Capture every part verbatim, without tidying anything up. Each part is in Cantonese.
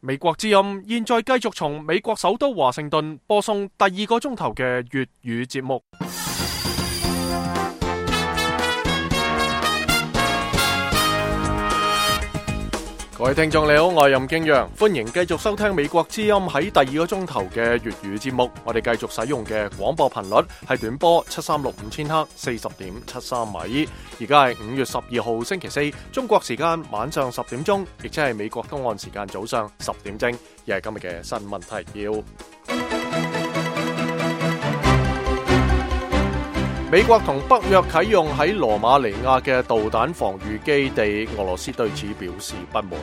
美國之音現在繼續從美國首都華盛頓播送第二個鐘頭嘅粵語節目。各位聽眾你好，我係任敬陽，歡迎繼續收聽美國之音喺第二個鐘頭嘅粵語節目。我哋繼續使用嘅廣播頻率係短波七三六五千赫，四十點七三米。而家係五月十二號星期四，中國時間晚上十點鐘，亦即係美國東岸時間早上十點正。而係今日嘅新聞提要。美國同北約啟用喺羅馬尼亞嘅導彈防禦基地，俄羅斯對此表示不滿。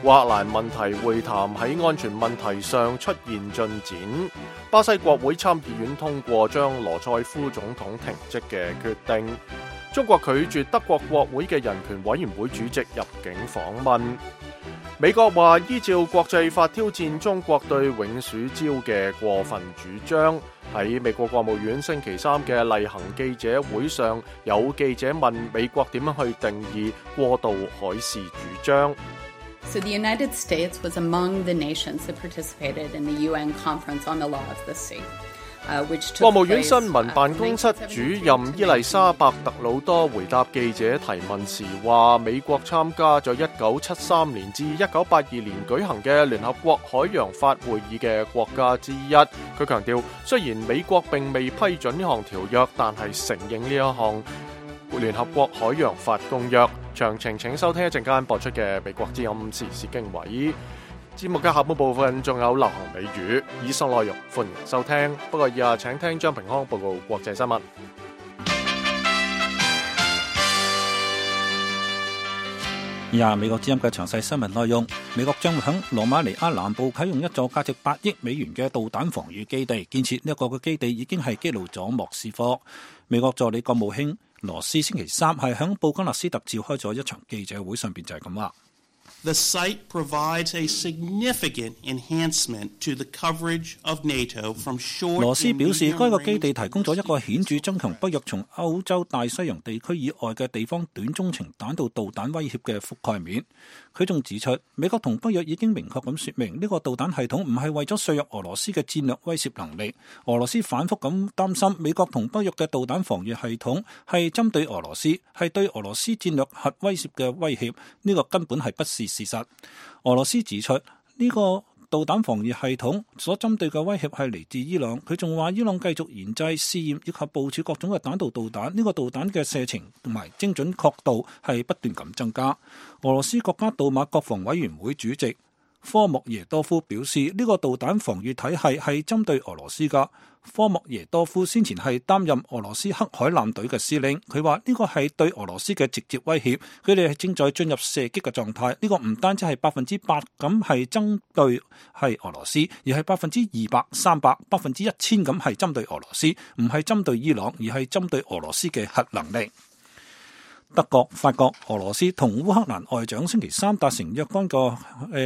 烏克蘭問題會談喺安全問題上出現進展。巴西國會參議院通過將羅塞夫總統停職嘅決定。中國拒絕德國國會嘅人權委員會主席入境訪問。美國話依照國際法挑戰中國對永暑礁嘅過分主張。喺美國國務院星期三嘅例行記者會上，有記者問美國點樣去定義過渡海事主張。So the United States was among the nations that participated in the U N Conference on the Law of the Sea.國務院新聞辦公室主任伊麗莎白特魯多回答記者提問時話，美國參加咗一九七三年至一九八二年舉行嘅聯合國海洋法會議嘅國家之一。佢強調，雖然美國並未批准呢項條約，但係承認呢一項聯合國海洋法公約。詳情請收聽一陣間播出嘅美國之音時事經緯。節目嘅下半部分仲有流行美語，以上內容歡迎收聽。不過以下請聽張平康報告國際新聞。以下美國之音嘅詳細新聞內容：美國將會喺羅馬尼亞南部啟用一座價值八億美元嘅導彈防禦基地。建設呢一個嘅基地已經係激怒咗莫斯科。美國助理國務卿羅斯星期三係喺布加勒斯特召開咗一場記者會，上邊就係咁話。The site provides a significant enhancement to the coverage of NATO from short. 羅斯表示，該個基地提供咗一個顯著增強北約從歐洲大西洋地區以外嘅地方短中程彈道導彈威脅嘅覆蓋面。佢仲指出，美國同北約已經明確咁說明，呢個導彈系統唔係為咗削弱俄羅斯嘅戰略威懾能力。俄羅斯反覆咁擔心，美國同北約嘅導彈防禦系統係針對俄羅斯，係對俄羅斯戰略核威懾嘅威脅。呢個根本係不是事實。俄羅斯指出，呢個導彈防禦系統所針對嘅威脅係嚟自伊朗。佢仲話，伊朗繼續研製、試驗以及部署各種嘅彈道導彈。呢個導彈嘅射程同埋精準確度係不斷咁增加。俄羅斯國家杜馬國防委員會主席科莫耶多夫表示，呢個導彈防禦體系係針對俄羅斯㗎。科莫耶多夫先前係擔任俄羅斯黑海艦隊嘅司令，佢話呢個係對俄羅斯嘅直接威脅，佢哋係正在進入射擊嘅狀態。呢個唔單止係百分之百咁係針對係俄羅斯，而係百分之二百、三百、百分之一千咁係針對俄羅斯，唔係針對伊朗，而係針對俄羅斯嘅核能力。德國、法國、俄羅斯同烏克蘭外長星期三達成若干個誒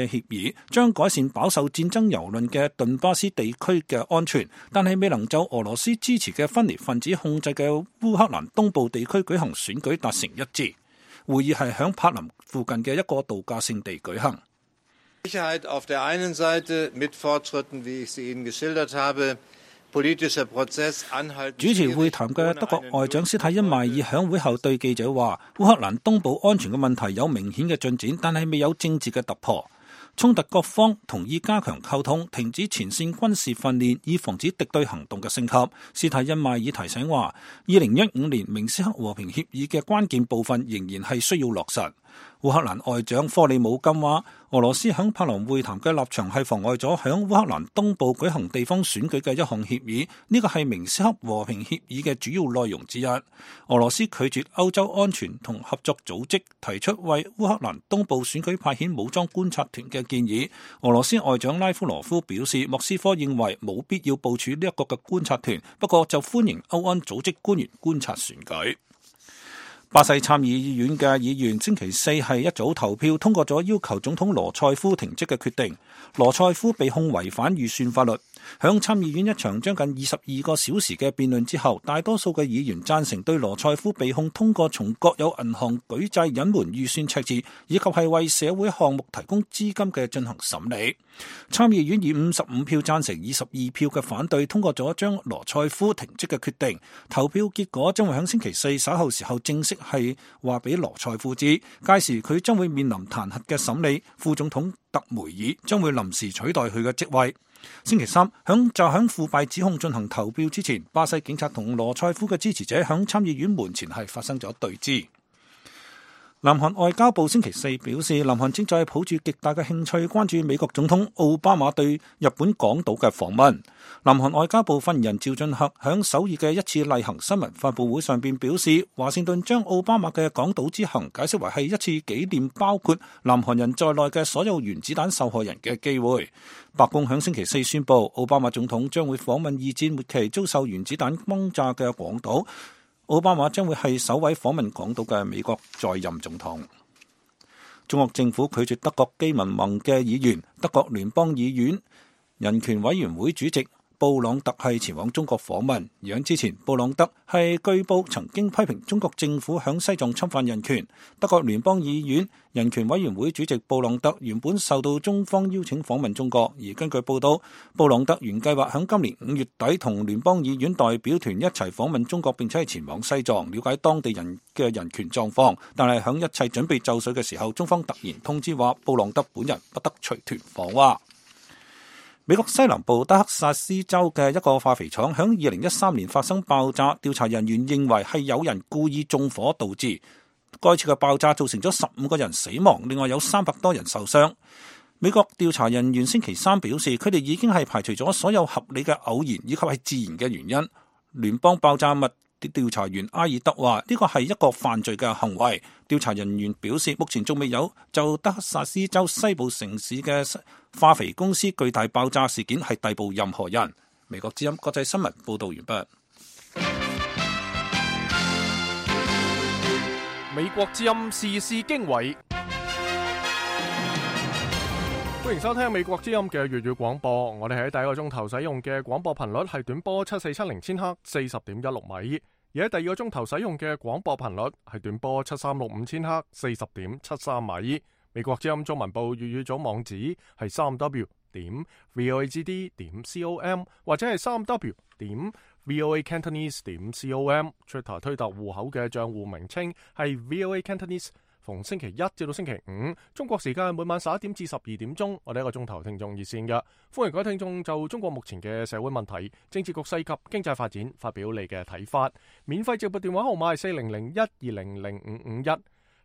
協議，將改善飽受戰爭蹂躪嘅頓巴斯地區嘅安全，但係未能就俄羅斯支持嘅分裂分子控制嘅烏克蘭東部地區舉行選舉達成一致。會議係響柏林附近嘅一個度假勝地舉行。Sicherheit auf der einen Seite mit Fortschritten, wie ich sie Ihnen geschildert habe.主持會談嘅德國外長施泰因邁爾響會後對記者話，烏克蘭東部安全嘅問題有明顯嘅進展，但係未有政治嘅突破。衝突各方同意加強溝通，停止前線軍事訓練，以防止敵對行動嘅升級。施泰因邁爾提醒話，二零一五年明斯克和平協議嘅關鍵部分仍然係需要落實。烏克蘭外長科里姆金話，俄羅斯響柏林會談嘅立場係妨礙咗響烏克蘭東部舉行地方選舉嘅一項協議，呢個係明斯克和平協議嘅主要內容之一。俄羅斯拒絕歐洲安全同合作組織提出為烏克蘭東部選舉派遣武裝觀察團嘅建議。俄羅斯外長拉夫羅夫表示，莫斯科認為冇必要部署呢一個嘅觀察團，不過就歡迎歐安組織官員觀察選舉。巴西參議院嘅議員星期四係一早投票通過咗要求總統羅塞夫停職嘅決定。羅塞夫被控違反預算法律。響參議院一場將近二十二個小時嘅辯論之後，大多數嘅議員贊成對羅塞夫被控通過從國有銀行舉債隱瞞預算赤字，以及係為社會項目提供資金嘅進行審理。參議院以五十五票贊成、二十二票嘅反對通過咗將羅塞夫停職嘅決定。投票結果將會喺星期四稍後時候正式係話俾羅塞夫知，屆時佢將會面臨彈劾嘅審理。副總統特梅爾將會臨時取代佢嘅職位。星期三響就響腐敗指控進行投票之前，巴西警察同羅塞夫嘅支持者響參議院門前係發生咗對峙。南韓外交部星期四表示，南韓正在抱住極大嘅興趣關注美國總統奧巴馬對日本港島嘅訪問。南韓外交部發言人趙俊赫響首爾嘅一次例行新聞發佈會上邊表示，華盛頓將奧巴馬嘅港島之行解釋為係一次紀念包括南韓人在內嘅所有原子彈受害人嘅機會。白宮響星期四宣布，奧巴馬總統將會訪問二戰末期遭受原子彈轟炸嘅廣島。奧巴馬將會係首位訪問港島嘅美國在任總統。中國政府拒絕德國基民盟嘅議員，德國聯邦議院人權委員會主席布朗特係前往中國訪問。而喺之前，布朗特係據報曾經批評中國政府響西藏侵犯人權。德國聯邦議院人權委員會主席布朗特原本受到中方邀請訪問中國，而根據報道，布朗特原計劃響今年五月底同聯邦議院代表團一齊訪問中國，並且係前往西藏了解當地人嘅人權狀況。但係響一切準備就緒嘅時候，中方突然通知話布朗特本人不得隨團訪華。美國西南部德克薩斯州嘅一個化肥廠響二零一三年發生爆炸，調查人員認為係有人故意縱火導致。該次嘅爆炸造成咗十五個人死亡，另外有三百多人受傷。美國調查人員星期三表示，佢哋已經係排除咗所有合理嘅偶然以及係自然嘅原因。聯邦爆炸物調查員埃爾德話：呢個係一個犯罪嘅行為。調查人員表示，目前仲未有就德克薩斯州西部城市嘅化肥公司巨大爆炸事件係逮捕任何人。美國之音國際新聞報道完畢。美國之音時事經緯，歡迎收聽美國之音嘅粵語廣播。我哋喺第一個鐘頭使用嘅廣播頻率係短波七四七零千赫，四十點一六米；而喺第二個鐘頭使用嘅廣播頻率係短波七三六五千赫，四十點七三米。美國之音中文部粵語組網址係三 w 點 voagd 點 com 或者係三 w 點 voa cantonese 點 com。Twitter 推特戶口嘅賬戶名稱係 voa cantonese。逢星期一至到星期五，中國時間每晚十一點至十二點鐘，我哋一個鐘頭聽眾熱線嘅，歡迎各位聽眾就中國目前嘅社會問題、政治局勢及經濟發展發表你嘅睇法。免費直播電話號碼係四零零一二零零五五一。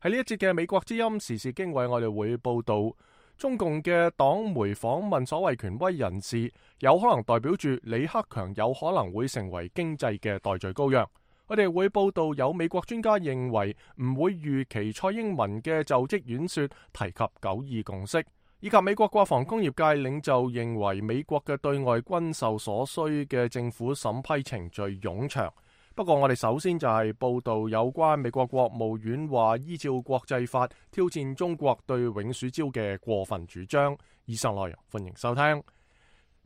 喺呢一節嘅美國之音時事經緯，我哋會報道中共嘅黨媒訪問所謂權威人士，有可能代表住李克強有可能會成為經濟嘅代罪羔羊。我哋會報道有美國專家認為唔會預期蔡英文嘅就職演說提及九二共識，以及美國國防工業界領袖認為美國嘅對外軍售所需嘅政府審批程序冗長。不過我哋首先就係報道有關美國國務院話依照國際法挑戰中國對永暑礁嘅過分主張。以上內容歡迎收聽。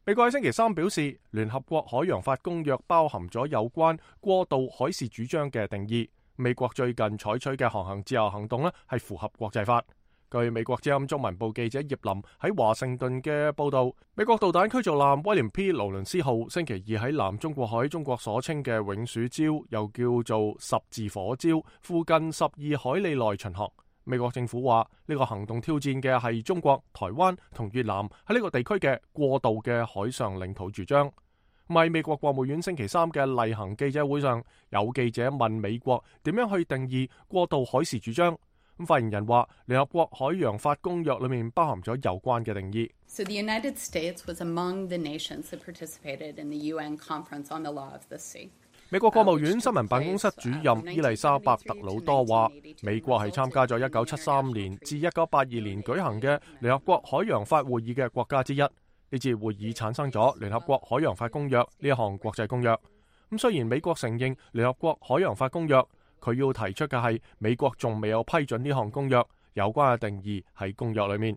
美國喺星期三表示，聯合國海洋法公約包含咗有關過渡海事主張嘅定義。美國最近採取嘅航行自由行動呢係符合國際法。據美國之音中文部記者葉林喺華盛頓嘅報道，美國導彈驅逐艦威廉 P 勞倫斯號星期二喺南中國海中國所稱嘅永暑礁，又叫做十字火礁附近十二海里內巡航。美國政府話呢個行動挑戰嘅係中國、台灣同越南喺呢個地區嘅過渡嘅海上領土主張。喺美國國務院星期三嘅例行記者會上，有記者問美國點樣去定義過渡海事主張。咁發言人話，聯合國海洋法公約裏面包含咗有關嘅定義。So the United States was among the nations that participated in the U N Conference on the Law of the Sea。美國國務院新聞辦公室主任伊麗莎白特魯多話，美國係參加咗一九七三年至一九八二年舉行嘅聯合國海洋法會議嘅國家之一。呢次會議產生咗聯合國海洋法公約呢一項國際公約。咁雖然美國承認聯合國海洋法公約，佢要提出嘅係美國仲未有批准呢項公約，有關嘅定義喺公約裏面。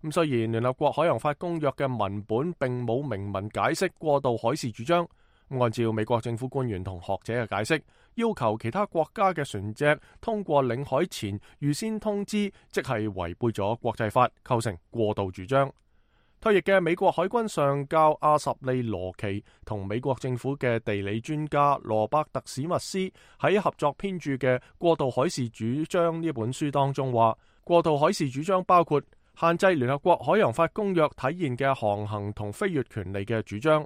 咁雖然聯合國海洋法公約嘅文本並冇明文解釋過渡海事主張，按照美國政府官員同學者嘅解釋，要求其他國家嘅船隻通過領海前預先通知，即係違背咗國際法，構成過渡主張。退役嘅美國海軍上校阿什利羅奇同美國政府嘅地理專家羅伯特史密斯喺合作編著嘅《過渡海事主張》呢本書當中話，過渡海事主張包括限制聯合國海洋法公約體現嘅航行同飛越權利嘅主張，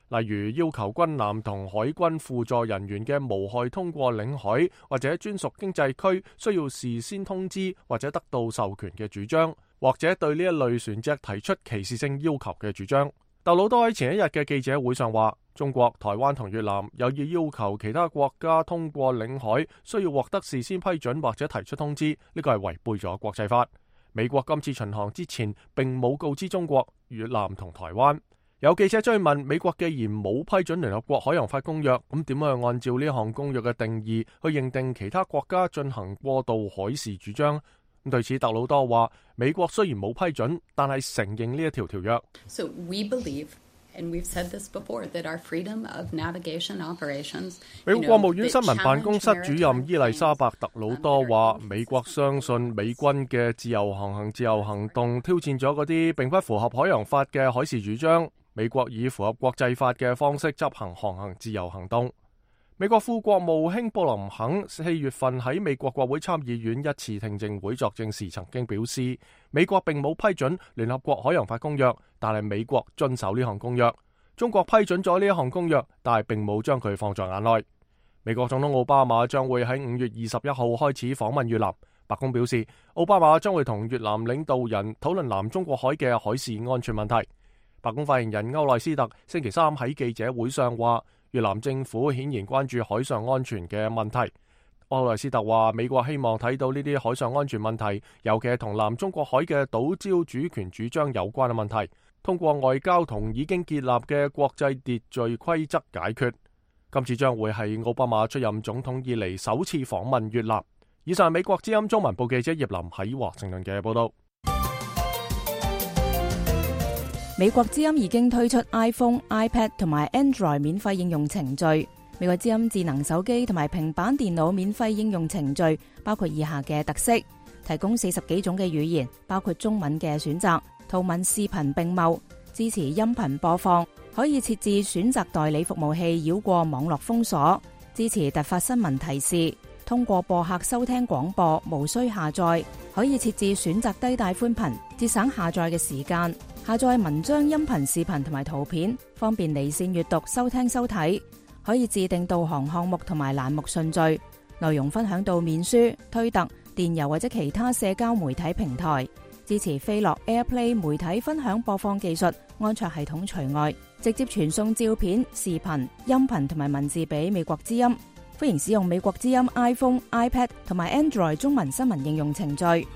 例如要求軍艦同海軍輔助人員嘅無害通過領海或者專屬經濟區需要事先通知或者得到授權嘅主張，或者對呢一類船隻提出歧視性要求嘅主張。特魯多喺前一日嘅記者會上話，中國、台灣同越南有意要求其他國家通過領海需要獲得事先批准或者提出通知，呢個係違背咗國際法。美國今次巡航之前並冇告知中國、越南同台灣。有記者追問，美國既然冇批准聯合國海洋法公約，咁點樣按照呢項公約嘅定義去認定其他國家進行過渡海事主張？咁對此，特魯多話：美國雖然冇批准，但係承認呢一條條約。So we believe, and we've said this before, that our freedom of navigation operations. 美國國務院新聞辦公室主任伊麗莎白特魯多話：美國相信美軍嘅自由航行自由行動挑戰咗嗰啲並不符合海洋法嘅海事主張。美國以符合國際法嘅方式執行航行自由行動。美國副國務卿布林肯四月份喺美國國會參議院一次聽證會作證時曾經表示，美國並冇批准聯合國海洋法公約，但係美國遵守呢項公約。中國批准咗呢一項公約，但係並冇將佢放在眼內。美國總統奧巴馬將會喺五月二十一號開始訪問越南。白宮表示，奧巴馬將會同越南領導人討論南中國海嘅海事安全問題。白宮發言人歐萊斯特星期三喺記者會上話，越南政府顯然關注海上安全嘅問題。歐萊斯特話，美國希望睇到呢啲海上安全問題，尤其係同南中國海嘅島礁主權主張有關嘅問題，通過外交同已經建立嘅國際秩序規則解決。今次將會係奧巴馬出任總統以嚟首次訪問越南。以上係美國之音中文部記者葉林喺華盛頓嘅報道。美國之音已經推出 iPhone、iPad 同埋 Android 免費應用程序。美國之音智能手機同埋平板電腦免費應用程序包括以下嘅特色：提供四十幾種嘅語言，包括中文嘅選擇，圖文視頻並茂，支持音頻播放，可以設置選擇代理服務器繞過網絡封鎖，支持突發新聞提示，通過播客收聽廣播，無需下載，可以設置選擇低帶寬頻，節省下載嘅時間。下載文章、音頻、視頻同埋圖片，方便離線閱讀、收聽、收睇。可以自定導航項目同埋欄目順序，內容分享到面書、推特、電郵或者其他社交媒體平台。支持飛樂 AirPlay 媒體分享播放技術，安卓系統除外。直接傳送照片、視頻、音頻同埋文字俾美國之音。歡迎使用美國之音 iPhone、iPad 同埋 Android 中文新聞應用程序。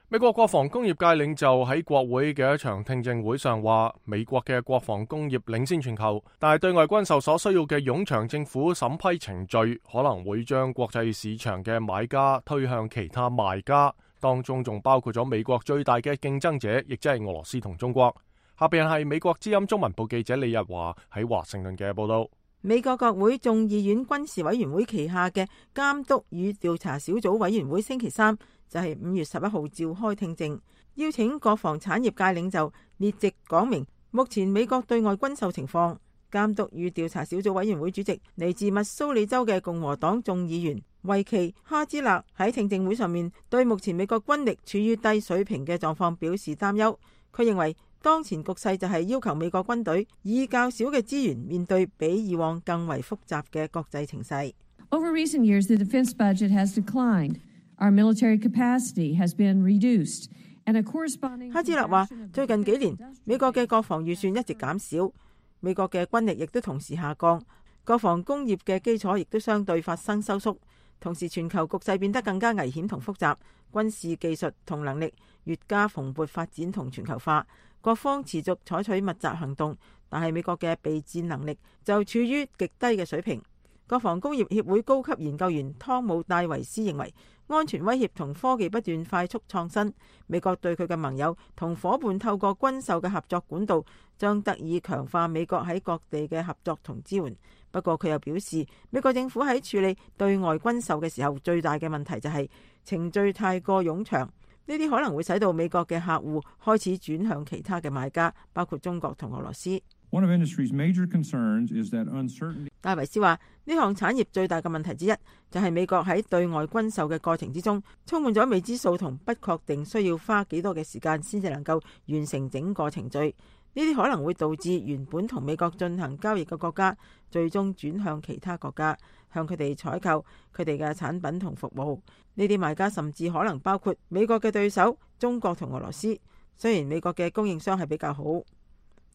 美國國防工業界領袖喺國會嘅一場聽證會上話，美國嘅國防工業領先全球，但係對外軍售所需要嘅冗長政府審批程序，可能會將國際市場嘅買家推向其他賣家，當中仲包括咗美國最大嘅競爭者，亦即係俄羅斯同中國。下邊係美國之音中文部記者李日華喺華盛頓嘅報道。美國國會眾議院軍事委員會旗下嘅監督與調查小組委員會星期三就係五月十一號召開聽證，邀請國防產業界領袖列席講明目前美國對外軍售情況。監督與調查小組委員會主席嚟自密蘇里州嘅共和黨眾議員維奇哈茲勒喺聽證會上面對目前美國軍力處於低水平嘅狀況表示擔憂。佢認為當前局勢就係要求美國軍隊以較少嘅資源面對比以往更為複雜嘅國際情勢。Over recent years, the defense budget has declined. Our military capacity has been reduced, and a corresponding. 哈茲勒話：最近幾年，美國嘅國防預算一直減少，美國嘅軍力亦都同時下降，國防工業嘅基礎亦都相對發生收縮。同時，全球局勢變得更加危險同複雜，軍事技術同能力越加蓬勃發展同全球化，各方持續採取密集行動，但係美國嘅備戰能力就處於極低嘅水平。國防工業協會高級研究員湯姆戴維斯認為，安全威脅同科技不斷快速創新，美國對佢嘅盟友同夥伴透過軍售嘅合作管道，將得以強化美國喺各地嘅合作同支援。不過佢又表示，美國政府喺處理對外軍售嘅時候，最大嘅問題就係程序太過冗長，呢啲可能會使到美國嘅客戶開始轉向其他嘅買家，包括中國同俄羅斯。One of industry's major concerns is that uncertainty. 戴維斯話：呢項產業最大嘅問題之一，就係美國喺對外軍售嘅過程之中，充滿咗未知數同不確定，需要花幾多嘅時間先至能夠完成整個程序。呢啲可能會導致原本同美國進行交易嘅國家，最終轉向其他國家，向佢哋採購佢哋嘅產品同服務。呢啲賣家甚至可能包括美國嘅對手中國同俄羅斯。雖然美國嘅供應商係比較好。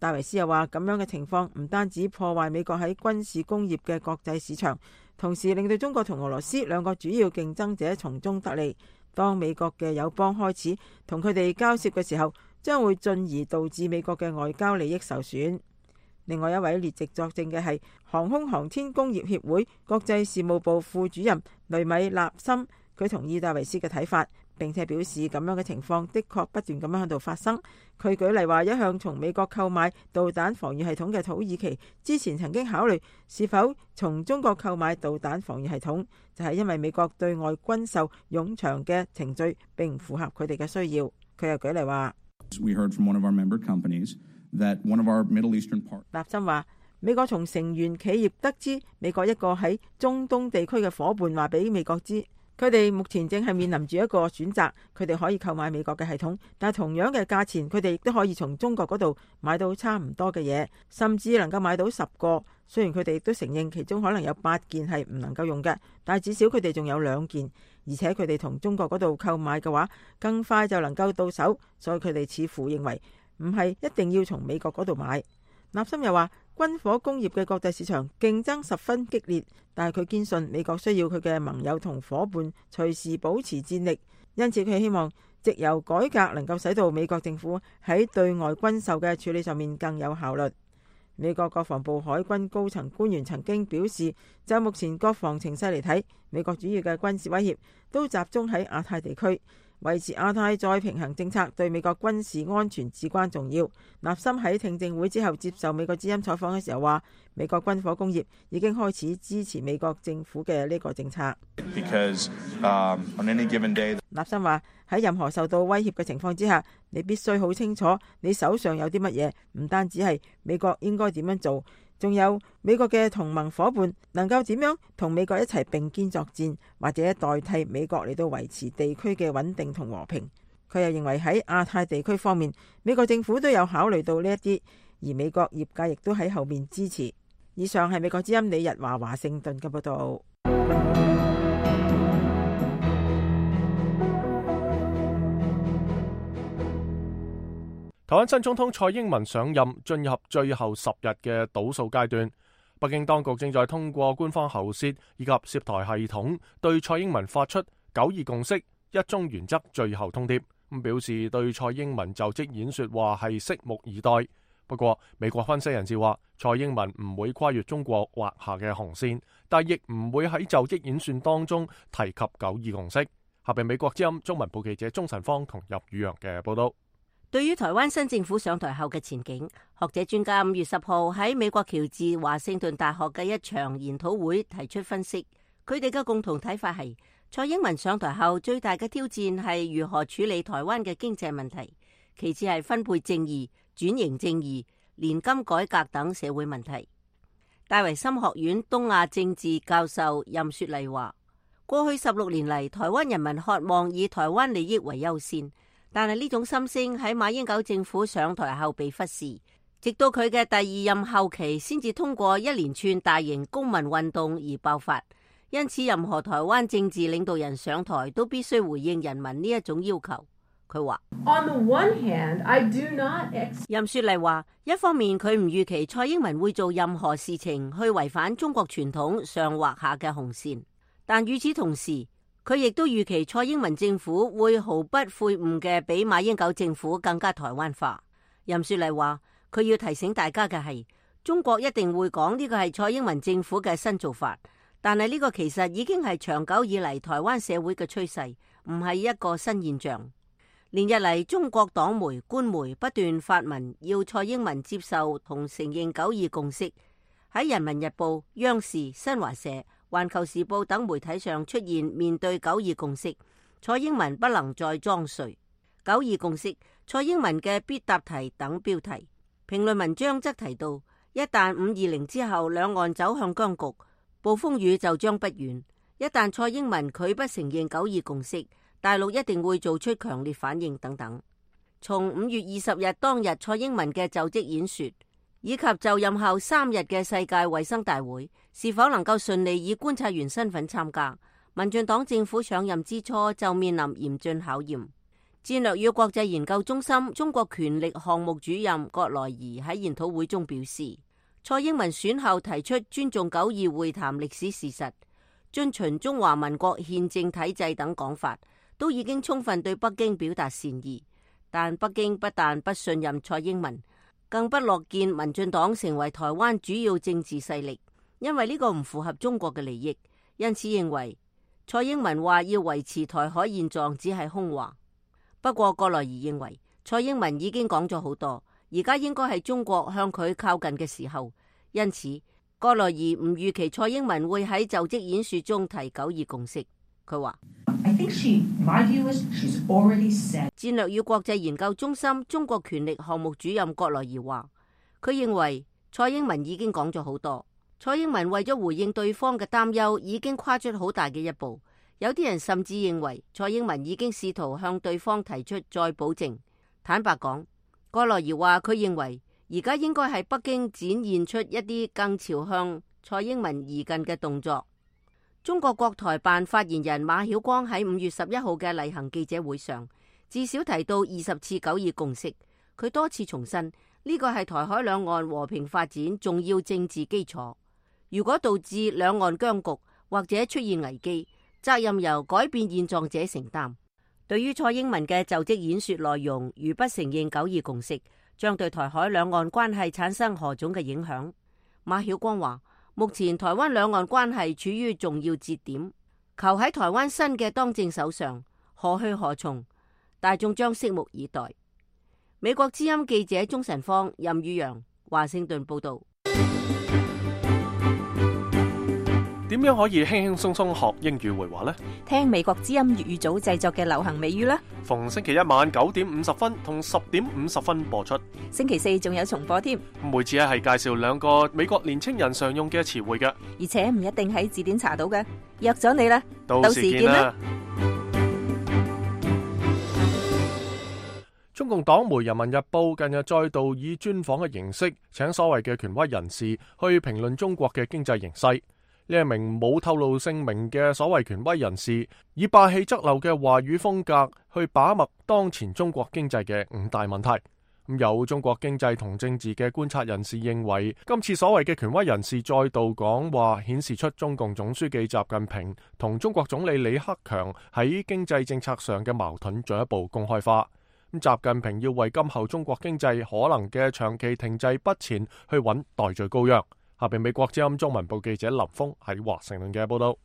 戴維斯又話：咁樣嘅情況唔單止破壞美國喺軍事工業嘅國際市場，同時令到中國同俄羅斯兩個主要競爭者從中得利。當美國嘅友邦開始同佢哋交涉嘅時候，將會進而導致美國嘅外交利益受損。另外一位列席作證嘅係航空航天工業協會國際事務部副主任雷米納森，佢同意戴維斯嘅睇法，並且表示咁樣嘅情況的確不斷咁樣喺度發生。佢舉例話，一向從美國購買導彈防禦系統嘅土耳其之前曾經考慮是否從中國購買導彈防禦系統，就係因為美國對外軍售冗長嘅程序並唔符合佢哋嘅需要。佢又舉例話，We heard from one of our member companies that one of our Middle Eastern partners. 納森話，美國從成員企業得知美國一個喺中東地區嘅夥伴話俾美國知，佢哋目前正係面臨住一個選擇，佢哋可以購買美國嘅系統，但係同樣嘅價錢，佢哋亦都可以從中國嗰度買到差唔多嘅嘢，甚至能夠買到十個。雖然佢哋亦都承認其中可能有八件係唔能夠用嘅，但係至少佢哋仲有兩件，而且佢哋同中國嗰度購買嘅話，更快就能夠到手，所以佢哋似乎認為唔係一定要從美國嗰度買。納森又話，軍火工業嘅國際市場競爭十分激烈，但係佢堅信美國需要佢嘅盟友同夥伴隨時保持戰力，因此佢希望藉由改革能夠使到美國政府喺對外軍售嘅處理上面更有效率。美國國防部海軍高層官員曾經表示，就目前國防情勢嚟睇，美國主要嘅軍事威脅都集中喺亞太地區。維持亞太再平衡政策對美國軍事安全至關重要。納森喺聽證會之後接受美國之音採訪嘅時候話，美國軍火工業已經開始支持美國政府嘅呢個政策。Because, um, on any given day... 納森話，喺任何受到威脅嘅情況之下，你必須好清楚你手上有啲乜嘢，唔單止係美國應該點樣做，仲有美國嘅同盟夥伴能夠點樣同美國一齊並肩作戰，或者代替美國嚟到維持地區嘅穩定同和平。佢又認為喺亞太地區方面，美國政府都有考慮到呢一啲，而美國業界亦都喺後面支持。以上係美國之音李日華華盛頓嘅報道。台灣新總統蔡英文上任進入最後十日嘅倒數階段，北京當局正在通過官方喉舌以及涉台系統對蔡英文發出九二共識、一中原則最後通牒，咁表示對蔡英文就職演說話係拭目以待。不過，美國分析人士話，蔡英文唔會跨越中國劃下嘅紅線，但亦唔會喺就職演說當中提及九二共識。下邊美國之音中文部記者鍾晨芳同入宇陽嘅報道。對於台灣新政府上台後嘅前景，學者專家五月十號喺美國喬治華盛頓大學嘅一場研討會提出分析。佢哋嘅共同睇法係，蔡英文上台後最大嘅挑戰係如何處理台灣嘅經濟問題，其次係分配正義、轉型正義、年金改革等社會問題。戴維森學院東亞政治教授任雪麗話，過去十六年嚟，台灣人民渴望以台灣利益為優先。但係呢種心聲喺馬英九政府上台後被忽視，直到佢嘅第二任後期先至通過一連串大型公民運動而爆發。因此，任何台灣政治領導人上台都必須回應人民呢一種要求。佢話：On the one hand, I do not ex- 任雪麗話，一方面佢唔預期蔡英文會做任何事情去違反中國傳統上劃下嘅紅線，但與此同時，佢亦都預期蔡英文政府會毫不悔悟嘅比馬英九政府更加台灣化。任雪麗話，佢要提醒大家嘅係，中國一定會講呢個係蔡英文政府嘅新做法，但係呢個其實已經係長久以嚟台灣社會嘅趨勢，唔係一個新現象。連日嚟，中國黨媒、官媒不斷發文要蔡英文接受同承認九二共識，喺《人民日報》、央視、新華社、環球時報等媒體上出現面對九二共識，蔡英文不能再裝睡。九二共識，蔡英文嘅必答題等標題。評論文章則提到，一旦五二零之後兩岸走向僵局，暴風雨就將不遠。一旦蔡英文拒不承認九二共識，大陸一定會做出強烈反應等等。從五月二十日當日蔡英文嘅就職演說，以及就任後三日嘅世界衛生大會，是否能夠順利以觀察員身份參加，民進黨政府上任之初就面臨嚴峻考驗。戰略與國際研究中心中國權力項目主任葛來儀喺研討會中表示，蔡英文選後提出尊重九二會談歷史事實、遵循中華民國憲政體制等講法，都已經充分對北京表達善意。但北京不但不信任蔡英文，更不樂見民進黨成為台灣主要政治勢力，因為呢個唔符合中國嘅利益。因此認為蔡英文話要維持台海現狀只係空話。不過葛來儀認為蔡英文已經講咗好多，而家應該係中國向佢靠近嘅時候。因此葛來儀唔預期蔡英文會喺就職演說中提九二共識。佢話戰略與國際研究中心中國權力項目主任葛來儀話，佢認為蔡英文已經講咗好多，蔡英文為咗回應對方嘅擔憂，已經跨出好大嘅一步。有啲人甚至認為蔡英文已經試圖向對方提出再保證。坦白講，葛來儀話佢認為而家應該係北京展現出一啲更朝向蔡英文移近嘅動作。中國國台辦發言人馬曉光喺五月十一號嘅例行記者會上，至少提到二十次九二共識。佢多次重申呢個係台海兩岸和平發展重要政治基礎。如果導致兩岸僵局或者出現危機，責任由改變現狀者承擔。對於蔡英文嘅就職演說內容，如不承認九二共識，將對台海兩岸關係產生何種嘅影響？馬曉光話，目前台灣兩岸關係處於重要節點，求喺台灣新嘅當政手上，何去何從？大眾將拭目以待。美國之音記者鍾晨芳、任宇陽，華盛頓報道。點樣可以輕輕鬆鬆學英語會話呢？聽美國之音粵語組製作嘅流行美語啦。逢星期一晚九點五十分同十點五十分播出。星期四仲有重播添。每次咧係介紹兩個美國年青人常用嘅詞彙嘅，而且唔一定喺字典查到嘅。約咗你啦，到時見啦。中共黨媒《人民日報》近日再度以專訪嘅形式，請所謂嘅權威人士去評論中國嘅經濟形勢。呢一名冇透露姓名嘅所謂權威人士，以霸氣側漏嘅話語風格去把脈當前中國經濟嘅五大問題。咁有中國經濟同政治嘅觀察人士認為，今次所謂嘅權威人士再度講話，顯示出中共總書記習近平同中國總理李克強喺經濟政策上嘅矛盾進一步公開化。咁習近平要為今後中國經濟可能嘅長期停滯不前去揾代罪羔羊。下邊美國之音中文部記者林峰喺華盛頓嘅報道。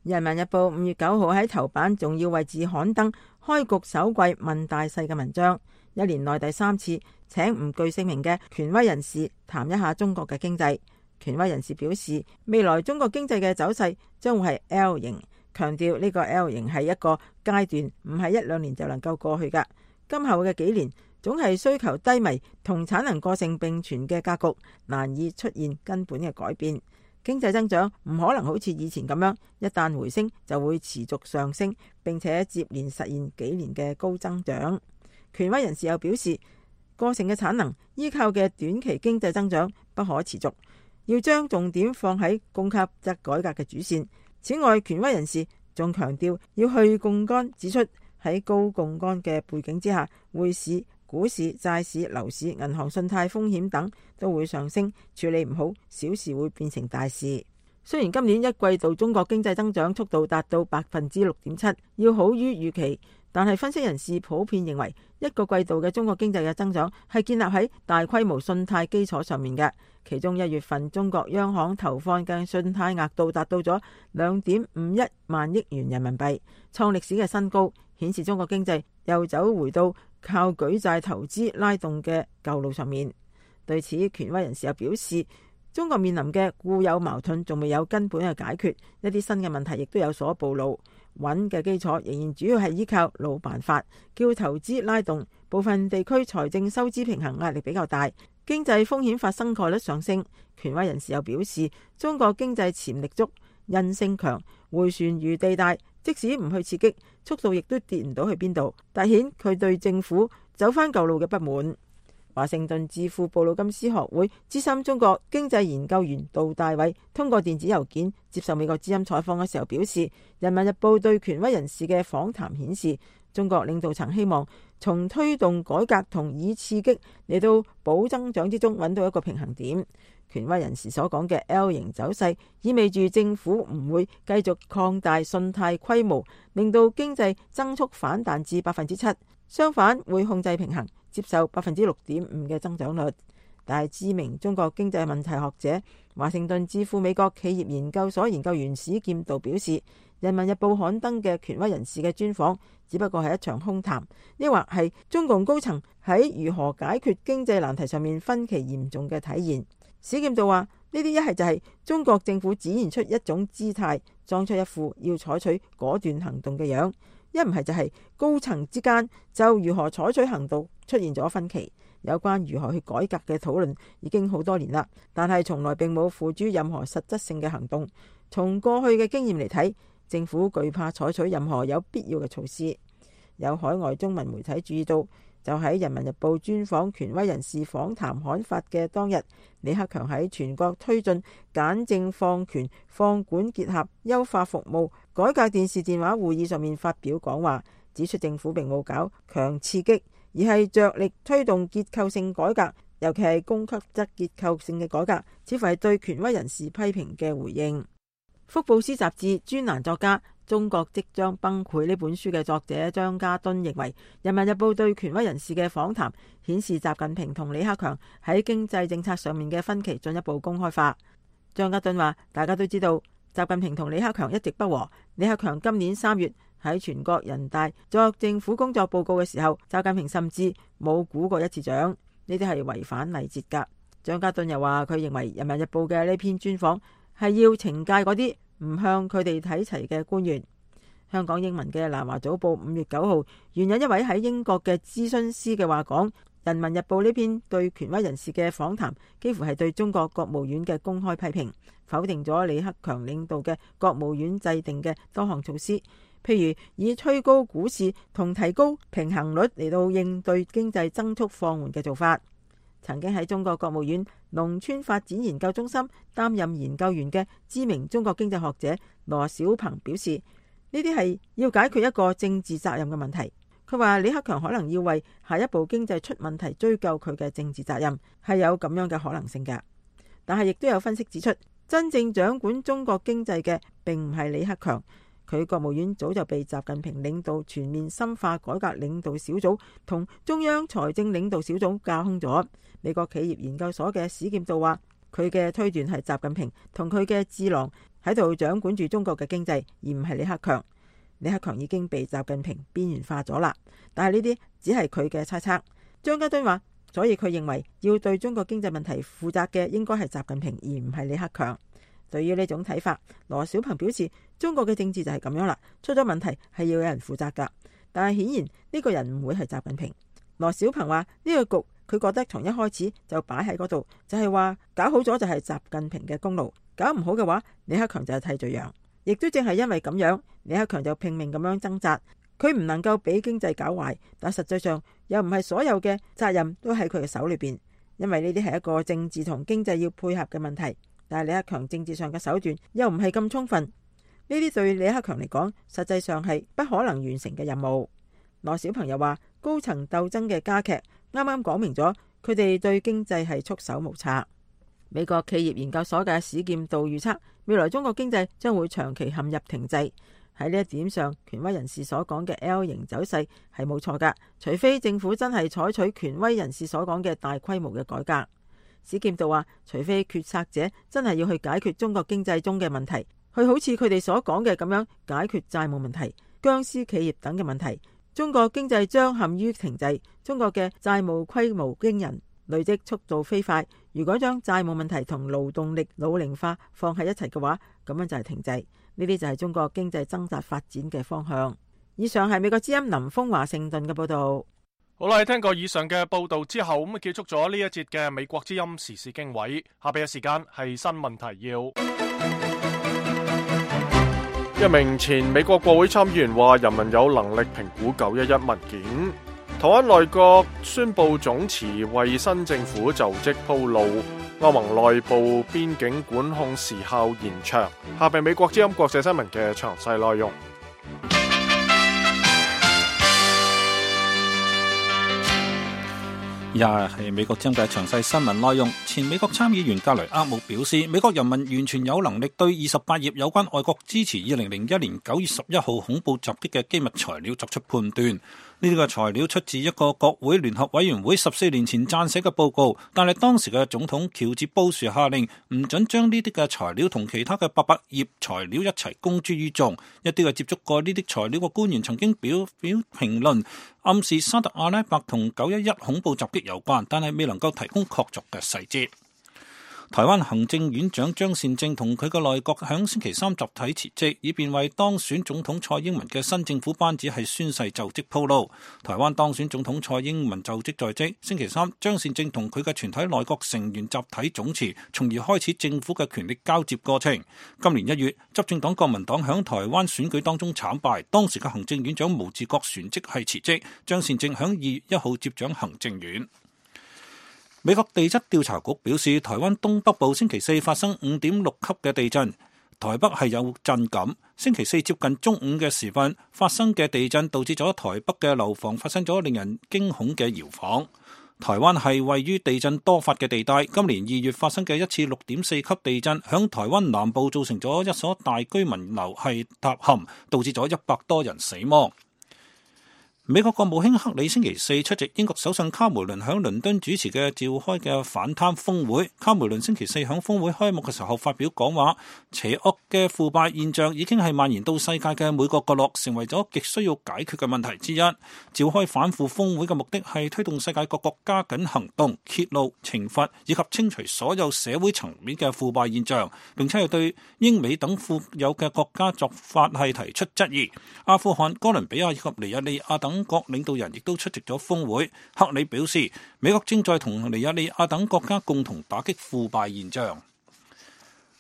人民日報五月九號喺頭版仲要位置刊登開局首季問大勢嘅文章，一年內第三次請唔具姓名嘅權威人士談一下中國嘅經濟。權威人士表示，未來中國經濟嘅走勢將會係 L 型，強調呢個 L 型係一個階段，唔係一兩年就能夠過去㗎。今後嘅幾年總係需求低迷同產能過剩並存嘅格局，難以出現根本嘅改變。經濟增長唔可能好似以前咁樣，一旦回升就會持續上升，並且接連實現幾年嘅高增長。權威人士又表示，過剩嘅產能依靠嘅短期經濟增長不可持續，要將重點放喺供給側改革嘅主線。此外，權威人士仲強調要去槓桿，指出喺高槓桿嘅背景之下，匯市、股市、債市、樓市、銀行信貸風險等都會上升，處理唔好，小事會變成大事。雖然今年一季度中國經濟增長速度達到百分之六點七，要好於預期，但係分析人士普遍認為，一個季度嘅中國經濟嘅增長係建立喺大規模信貸基礎上面嘅。其中一月份中國央行投放嘅信貸額度達到咗兩點五一萬億元人民幣，創歷史嘅新高，顯示中國經濟又走回到靠舉債投資拉動嘅舊路上面。對此，權威人士又表示，中國面臨嘅固有矛盾仲未有根本嘅解決，一啲新嘅問題亦都有所暴露。穩嘅基礎仍然主要係依靠老辦法，叫投資拉動。部分地區財政收支平衡壓力比較大，經濟風險發生概率上升。權威人士又表示，中國經濟潛力足，韌性強，迴旋餘地大，即使唔去刺激，速度亦都跌唔到去邊度，凸顯佢對政府走翻舊路嘅不滿。華盛頓智庫布魯金斯學會資深中國經濟研究員杜大偉通過電子郵件接受美國之音採訪嘅時候表示，人民日報對權威人士嘅訪談顯示，中國領導層希望從推動改革同以刺激嚟到保增長之中揾到一個平衡點。權威人士所講嘅 L 型走勢意味住政府唔會繼續擴大信貸規模，令到經濟增速反彈至百分之七，相反會控制平衡，接受百分之六點五嘅增長率。但係知名中國經濟問題學者、華盛頓智庫美國企業研究所研究員史劍道表示，人民日報刊登嘅權威人士嘅專訪只不過係一場空談，抑或係中共高層喺如何解決經濟難題上面分歧嚴重嘅體現。史劍道話，呢啲一係就係中國政府展現出一種姿態，裝出一副要採取果斷行動嘅樣，一唔係就係高層之間就如何採取行動出現咗分歧。有關如何去改革嘅討論已經好多年啦，但係從來並冇付諸任何實質性嘅行動。從過去嘅經驗嚟睇，政府懼怕採取任何有必要嘅措施。有海外中文媒體注意到，就喺《人民日報》專訪權威人士訪談刊發嘅當日，李克強喺全國推進簡政放權放管結合優化服務改革電視電話會議上面發表講話，指出政府並冇搞強刺激，而係着力推動結構性改革，尤其係供給側結構性嘅改革，似乎係對權威人士批評嘅回應。福布斯雜誌專欄作家、中國即將崩潰呢本書嘅作者張家敦認為，人民日報對權威人士嘅訪談顯示習近平同李克強喺經濟政策上面嘅分歧進一步公開化。張家敦話，大家都知道習近平同李克強一直不和，李克強今年三月喺全國人大作政府工作報告嘅時候，習近平甚至冇鼓過一次掌，呢啲係違反禮節噶。張家敦又話，佢認為人民日報嘅呢篇專訪係要懲戒嗰啲唔向佢哋睇齊嘅官員。香港英文嘅南華早報五月九號援引一位喺英國嘅諮詢師嘅話講，人民日報呢篇對權威人士嘅訪談幾乎係對中國國務院嘅公開批評，否定咗李克強領導嘅國務院制定嘅多項措施，譬如以推高股市同提高平衡率嚟到應對經濟增速放緩嘅做法。曾經喺中國國務院農村發展研究中心擔任研究員嘅知名中國經濟學者羅小鵬表示，呢啲係要解決一個政治責任嘅問題。佢話李克強可能要為下一步經濟出問題追究佢嘅政治責任，係有咁樣嘅可能性㗎。但係亦都有分析指出，真正掌管中國經濟嘅並唔係李克強，佢國務院早就被習近平領導全面深化改革領導小組同中央財政領導小組架空咗。美國企業研究所嘅史劍道話，佢嘅推斷係習近平同佢嘅智囊喺度掌管住中國嘅經濟，而唔係李克強。李克強已經被習近平邊緣化咗啦，但係呢啲只係佢嘅猜測。張家敦話，所以佢認為要對中國經濟問題負責嘅應該係習近平，而唔係李克強。對於呢種睇法，羅小鵬表示，中國嘅政治就係咁樣啦，出咗問題係要有人負責噶，但係顯然呢個人唔會係習近平。羅小鵬話，呢個局佢覺得從一開始就擺喺嗰度，就係話搞好咗就係習近平嘅功勞，搞唔好嘅話李克強就係替罪羊。亦都正係因為咁樣，李克強就拼命咁樣掙扎，佢唔能夠俾經濟搞壞，但實際上又唔係所有嘅責任都喺佢嘅手裏邊，因為呢啲係一個政治同經濟要配合嘅問題。但係李克強政治上嘅手段又唔係咁充分，呢啲對李克強嚟講實際上係不可能完成嘅任務。羅小鵬又話，高層鬥爭嘅加劇啱啱講明咗佢哋對經濟係束手無策。美國企業研究所嘅史劍道預測，未來中國經濟將會長期陷入停滯。喺呢一點上，權威人士所講嘅 L 型走勢係冇錯㗎，除非政府真係採取權威人士所講嘅大規模嘅改革。史劍道話，除非決策者真係要去解決中國經濟中嘅問題，去好似佢哋所講嘅咁樣解決債務問題、僵屍企業等嘅問題，中國經濟將陷於停滯，中國嘅債務規模驚人，累積速度飛快。如果將債務問題同勞動力老齡化放喺一齊嘅話，咁樣就係停滯。呢啲就係中國經濟掙扎發展嘅方向。以上係美國之音林峰華盛頓嘅報道。好啦，聽過以上嘅報道之後，咁啊結束咗呢一節嘅美國之音時事經緯。下邊嘅時間係新聞提要。一名前美國國會參議員話，人民有能力評估九一一文件。台灣內閣宣布總辭，為新政府就職鋪路。歐盟內部邊境管控時效延長。下邊美國之音國際新聞嘅詳細內容。以下係美國之音嘅詳細新聞內容。前美國參議員格雷厄姆表示，美國人民完全有能力對二十八頁有關外國支持二零零一年九月十一號恐怖襲擊嘅機密材料作出判斷。呢啲嘅材料出自一個國會聯合委員會十四年前撰寫嘅報告，但係當時嘅總統喬治布殊下令唔准將呢啲嘅材料同其他嘅八百頁材料一齊公諸於眾。一啲嘅接觸過呢啲材料嘅官員曾經表表評論，暗示沙特阿拉伯同九一一恐怖襲擊有關，但係未能夠提供確鑿嘅細節。台灣行政院長張善政同佢嘅內閣響星期三集體辭職，以便為當選總統蔡英文嘅新政府班子係宣誓就職鋪路。台灣當選總統蔡英文就職在即，星期三張善政同佢嘅全體內閣成員集體總辭，從而開始政府嘅權力交接過程。今年一月，執政黨國民黨響台灣選舉當中慘敗，當時嘅行政院長毛治國旋即係辭職，張善政響二月一號接掌行政院。美國地質調查局表示，台灣東北部星期四發生五點六級嘅地震，台北係有震感。星期四接近中午嘅時分發生嘅地震，導致咗台北嘅樓房發生咗令人驚恐嘅搖晃。台灣係位於地震多發嘅地帶，今年二月發生嘅一次六點四級地震，響台灣南部造成咗一所大居民樓係塌陷，導致咗一百多人死亡。美國國務卿克里星期四出席英國首相卡梅倫響倫敦主持嘅召開嘅反貪峰會。卡梅倫星期四響峰會開幕嘅時候發表講話，邪惡嘅腐敗現象已經係蔓延到世界嘅每個角落，成為咗極需要解決嘅問題之一。召開反腐峰會嘅目的係推動世界各國加緊行動，揭露、懲罰以及清除所有社會層面嘅腐敗現象，並且係對英美等富有嘅國家作法係提出質疑。阿富汗、哥倫比亞以及尼日利亞等國領導人亦都出席咗峰會。克里表示，美國正在同尼日利亞等國家共同打擊腐敗現象。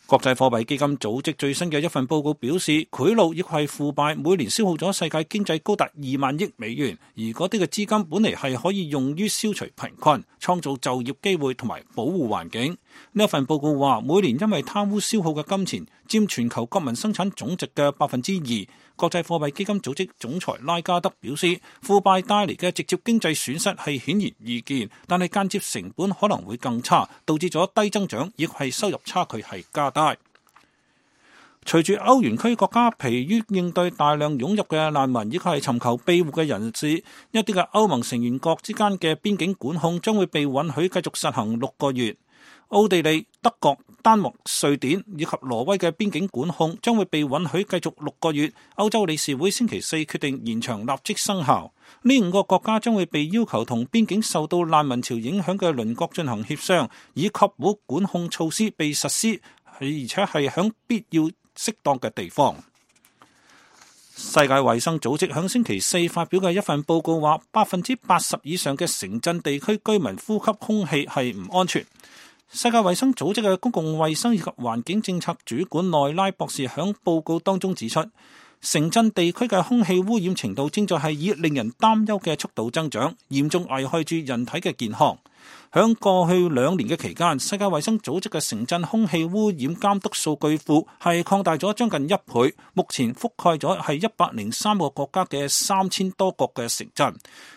國際貨幣基金組織最新嘅一份報告表示，賄賂亦係腐敗每年消耗咗世界經濟高達二萬億美元，而嗰啲嘅資金本嚟係可以用於消除貧困、創造就業機會同埋保護環境。呢一份報告話，每年因為貪污消耗嘅金錢佔全球國民生產總值嘅百分之二。國際貨幣基金組織總裁拉加德表示，腐敗帶嚟嘅直接經濟損失係顯而易見，但係間接成本可能會更差，導致咗低增長，亦係收入差距係加大。隨住歐元區國家疲於應對大量湧入嘅難民，以及係尋求庇護嘅人士，一啲嘅歐盟成員國之間嘅邊境管控將會被允許繼續實行六個月。奧地利、德國、丹麥、瑞典以及挪威嘅邊境管控將會被允許繼續六個月。歐洲理事會星期四決定延長，立即生效。呢五個國家將會被要求同邊境受到難民潮影響嘅鄰國進行協商，以確保管控措施被實施，而且係響必要適當嘅地方。世界衛生組織響星期四發表嘅一份報告話，百分之八十以上嘅城鎮地區居民呼吸空氣係唔安全。世界衛生組織嘅公共衛生以及環境政策主管內拉博士響報告當中指出，城鎮地區嘅空氣污染程度正在係以令人擔憂嘅速度增長，嚴重危害住人體嘅健康。響過去兩年嘅期間，世界衛生組織嘅城鎮空氣污染監督數據庫係擴大咗將近一倍，目前覆蓋咗係一百零三個國家嘅三千多個嘅城鎮。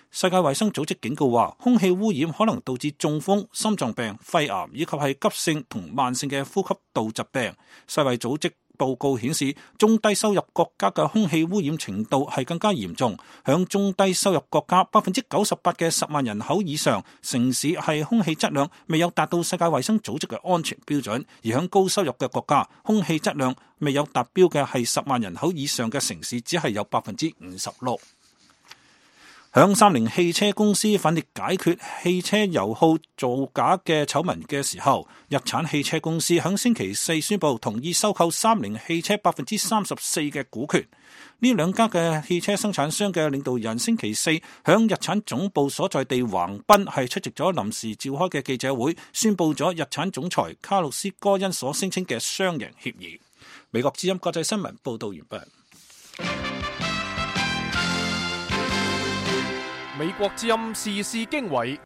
世界衛生組織警告話，空氣污染可能導致中風、心臟病、肺癌以及係急性同慢性嘅呼吸道疾病。世衛組織報告顯示，中低收入國家嘅空氣污染程度係更加嚴重。響中低收入國家，百分之九十八嘅十萬人口以上城市係空氣質量未有達到世界衛生組織嘅安全標準，而響高收入嘅國家，空氣質量未有達標嘅係十萬人口以上嘅城市，只係有百分之五十六。響三菱汽車公司奮力解決汽車油耗造假嘅醜聞嘅時候，日產汽車公司響星期四宣布同意收購三菱汽車百分之三十四嘅股權。呢兩家嘅汽車生產商嘅領導人星期四響日產總部所在地橫濱係出席咗臨時召開嘅記者會，宣布咗日產總裁卡洛斯戈恩所聲稱嘅雙贏協議。美國之音國際新聞報道完畢。美國之音時事經緯，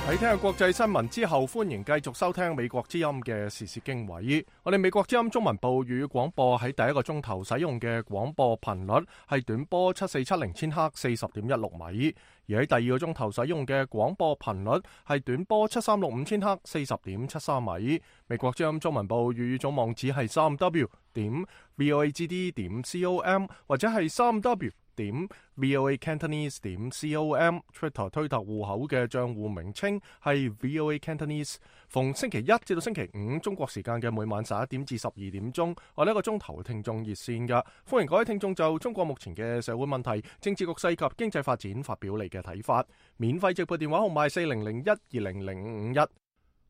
喺聽下國際新聞之後，歡迎繼續收聽美國之音嘅時事經緯。我哋美國之音中文部粵語廣播喺第一個鐘頭使用嘅廣播頻率係短波七四七零千赫四十點一六米，而喺第二個鐘頭使用嘅廣播頻率係短波七三六五千赫四十點七三米。美國之音中文部粵語總網址係三 w 點 voagd 點 com 或者係三 w點 voa cantonese 點 com。 Twitter 推特戶口嘅賬戶名稱係 voa cantonese。 逢星期一至到星期五中國時間嘅每晚十一點至十二點鐘，我呢一個鐘頭聽眾熱線㗎，歡迎各位聽眾就中國目前嘅社會問題、政治局勢及經濟發展發表你嘅睇法。免費直播電話號碼四零零一二零零五五一。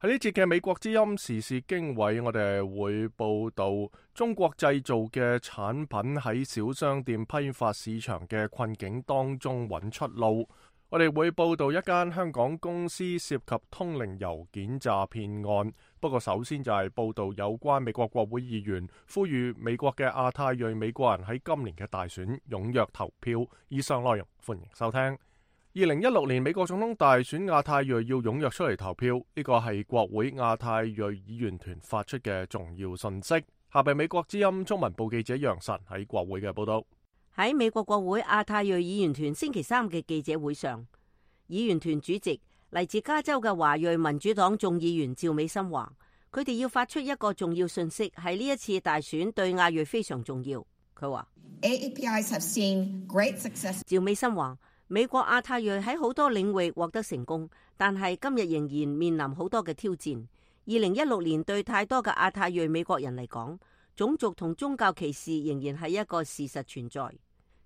喺呢節嘅美國之音時事經緯，我哋會報道中國製造嘅產品喺小商店批發市場嘅困境當中揾出路。我哋會報道一間香港公司涉及通靈郵件詐騙案。不過首先就係報道有關美國國會議員呼籲美國嘅亞太裔美國人喺今年嘅大選踴躍投票。以上內容歡迎收聽。二零一六年美國總統大選，亞太裔要踴躍出嚟投票，呢個係國會亞太裔議員團發出嘅重要信息。下邊美國之音中文部記者楊晨喺國會嘅報道。喺美國國會亞太裔議員團星期三嘅記者會上，議員團主席嚟自加州嘅華裔民主黨眾議員趙美心話，佢哋要發出一個重要信息，係呢一次大選對亞裔非常重要。佢話 A A P Is have seen great success。 趙美心話，美國亞太裔喺好多領域獲得成功，但係今日仍然面臨好多嘅挑戰。二零一六年對太多嘅亞太裔美國人嚟講，種族同宗教歧視仍然係一個事實存在。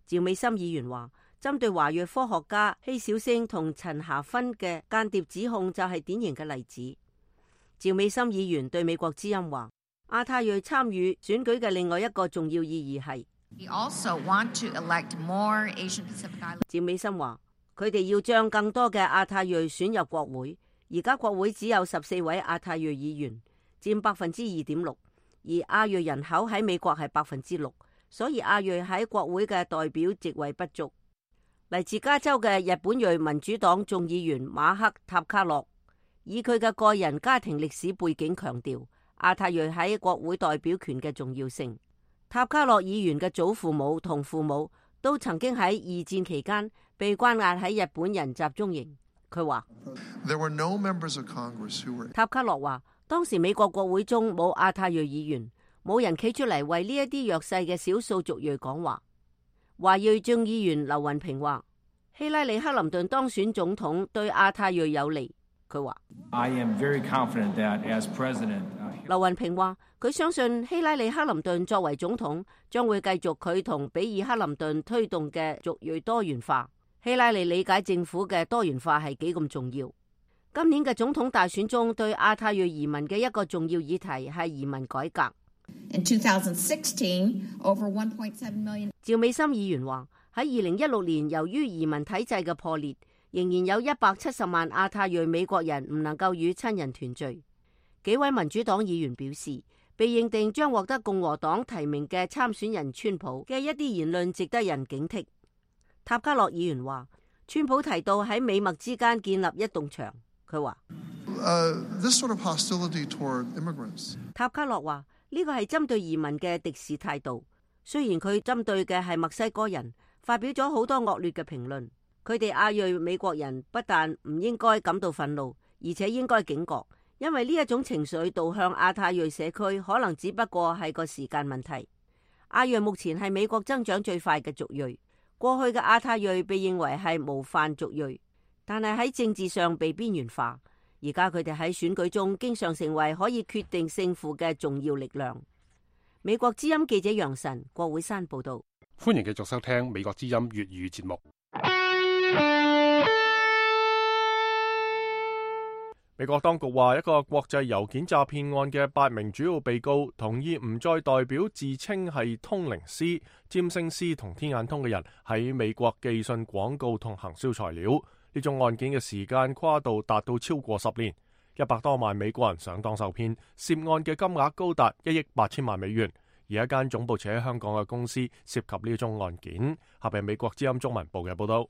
趙美心議員話，針對華裔科學家希小星同陳霞芬嘅間諜指控就係典型嘅例子。趙美心議員對美國之音話，亞太裔參與選舉嘅另外一個重要意義係We also want to elect more Asian Pacific Island。趙美心話，佢哋要將更多嘅亞太裔選入國會。而家國會只有十四位亞太裔議員，佔百分之二點六，而亞裔人口喺美國係百分之六，所以亞裔喺國會嘅代表席位不足。嚟自加州嘅日本裔民主黨眾議員馬克塔卡洛，以佢嘅個人家庭歷史背景強調亞太裔喺國會代表權嘅重要性。塔卡洛議員嘅祖父母同父母都曾經喺二戰期間被關押喺日本人集中營。佢話塔卡洛話，當時美國國會中冇亞太裔議員，冇人企出嚟為呢一啲弱勢嘅少數族裔講話。華裔眾議員劉雲平話，希拉里克林頓當選總統對亞太裔有利。佢話劉雲平話，佢相信希拉里克林頓作為總統將會繼續佢同比爾克林頓推動嘅族裔多元化。希拉里理解政府嘅多元化係幾咁重要。今年嘅總統大選中，對亞太裔移民嘅一個重要議題係移民改革。In twenty sixteen, over one point seven million。趙美心議員話，喺二零一六年，由於移民體制嘅破裂，仍然有一百七十萬亞太裔美國人唔能夠與親人團聚。幾位民主黨議員表示，被認定將獲得共和黨提名嘅參選人川普嘅一啲言論值得人警惕。塔卡洛議員話，川普提到喺美墨之間建立一棟牆。佢話、uh, this sort of hostility toward immigrants。塔卡洛話，呢個係針對移民嘅敵視態度。雖然佢針對嘅係墨西哥人，發表咗好多惡劣嘅評論。佢哋亞裔美國人不但唔應該感到憤怒，而且應該警覺，因為呢一種情緒導向亞太裔社區，可能只不過係個時間問題。亞裔目前係美國增長最快嘅族裔，過去嘅亞太裔被認為係模範族裔，但係喺政治上被邊緣化。而家佢哋喺選舉中經常成為可以決定勝負嘅重要力量。美國之音記者楊晨，郭會山報道。歡迎繼續收聽美國之音粵語節目。美國當局話，一個國際郵件詐騙案嘅八名主要被告同意唔再代表自稱係通靈師、占星師同天眼通嘅人喺美國寄信廣告同行銷材料。呢種案件嘅時間跨度達到超過十年，一百多萬美國人上當受騙，涉案嘅金額高達一億八千萬美元。而一間總部設喺香港嘅公司涉及呢宗案件。下邊美國之音中文部嘅報道。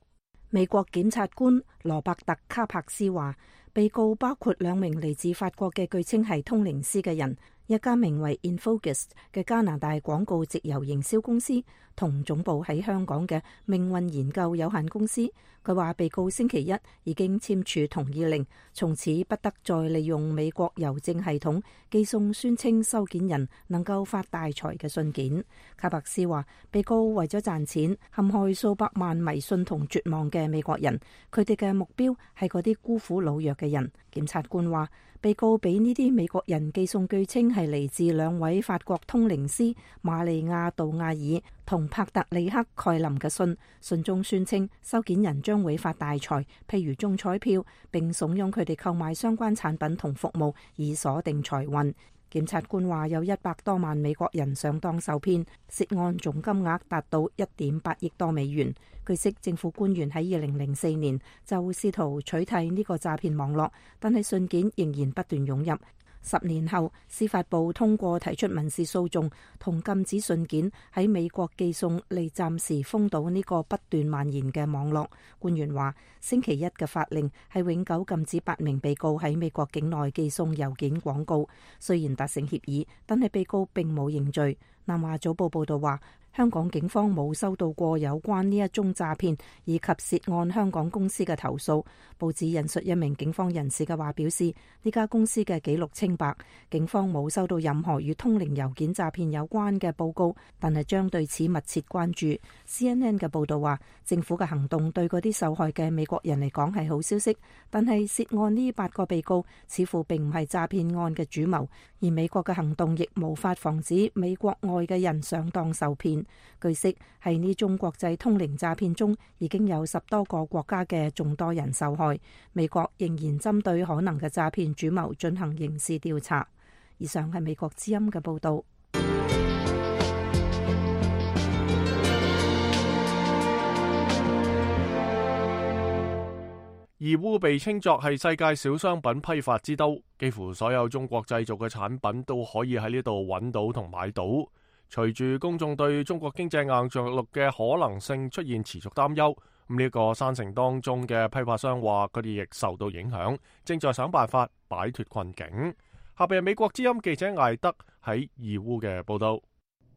美國檢察官羅伯特卡柏斯話，被告包括兩名嚟自法國嘅據稱係通靈師嘅人，一家名為 Infogist 嘅加拿大廣告直郵營銷公司，同總部喺香港嘅命運研究有限公司。佢話被告星期一已經簽署同意令，從此不得再利用美國郵政系統寄送宣稱收件人能夠發大財嘅信件。卡柏斯話，被告為咗賺錢陷害數百萬迷信同絕望嘅美國人，佢哋嘅目標係嗰啲孤苦老弱嘅人。檢察官話，被告俾呢啲美國人寄送據稱係嚟自兩位法國通靈師瑪利亞杜亞爾同帕特里克蓋林嘅信，信中宣稱收件人將會發大財，譬如中彩票，並慫恿佢哋購買相關產品同服務以鎖定財運。檢察官話，有一百多萬美國人上當受騙，涉案總金額達到一點八億多美元。據悉，政府官員喺二零零四年就試圖取締呢個詐騙網絡，但係信件仍然不斷湧入。十年後，司法部通過提出民事訴訟，同禁止信件喺美國寄送，嚟暫時封堵呢個不斷蔓延嘅網絡。官員話，星期一嘅法令係永久禁止八名被告喺美國境內寄送郵件廣告。雖然達成協議，但係被告並冇認罪。南華早報報道話，香港警方冇收到過有關呢一宗詐騙以及涉案香港公司嘅投訴。報紙引述一名警方人士嘅話表示，呢家公司嘅記錄清白，警方冇收到任何與通靈郵件詐騙有關嘅報告，但係將對此密切關注。C N N 嘅報道話，政府嘅行動對嗰啲受害嘅美國人嚟講係好消息，但係涉案呢八個被告似乎並唔係詐騙案嘅主謀，而美國嘅行動亦無法防止美國外嘅人上當受騙。據悉，喺呢宗國際通靈詐騙中，已經有十多個國家嘅眾多人受害。美國仍然針對可能嘅詐騙主謀進行刑事調查。以上係美國之音嘅報道。義烏被稱作係世界小商品批發之都，幾乎所有中國製造嘅產品都可以喺呢度揾到同買到。隨住公眾對中國經濟硬着陸嘅可能性出現持續擔憂，咁呢個山城當中嘅批發商話佢哋亦受到影響，正在想辦法擺脫困境。下邊係美國之音記者艾德喺義烏嘅報道。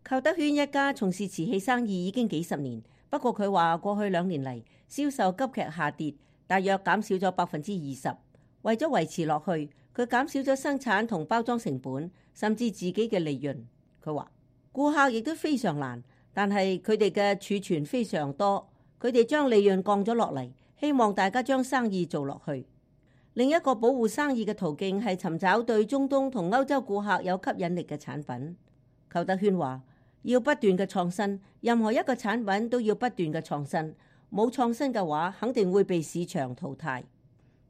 寇德軒一家從事瓷器生意已經幾十年，不過佢話過去兩年嚟銷售急劇下跌，大約減少咗百分之二十。為咗維持落去，佢減少咗生產同包裝成本，甚至自己嘅利潤。佢話顧客亦都非常難，但係佢哋嘅儲存非常多，佢哋將利潤降咗落嚟，希望大家將生意做落去。另一個保護生意嘅途徑係尋找對中東同歐洲顧客有吸引力嘅產品。寇德軒話要不斷嘅創新，任何一個產品都要不斷嘅創新，冇創新嘅話肯定會被市場淘汰。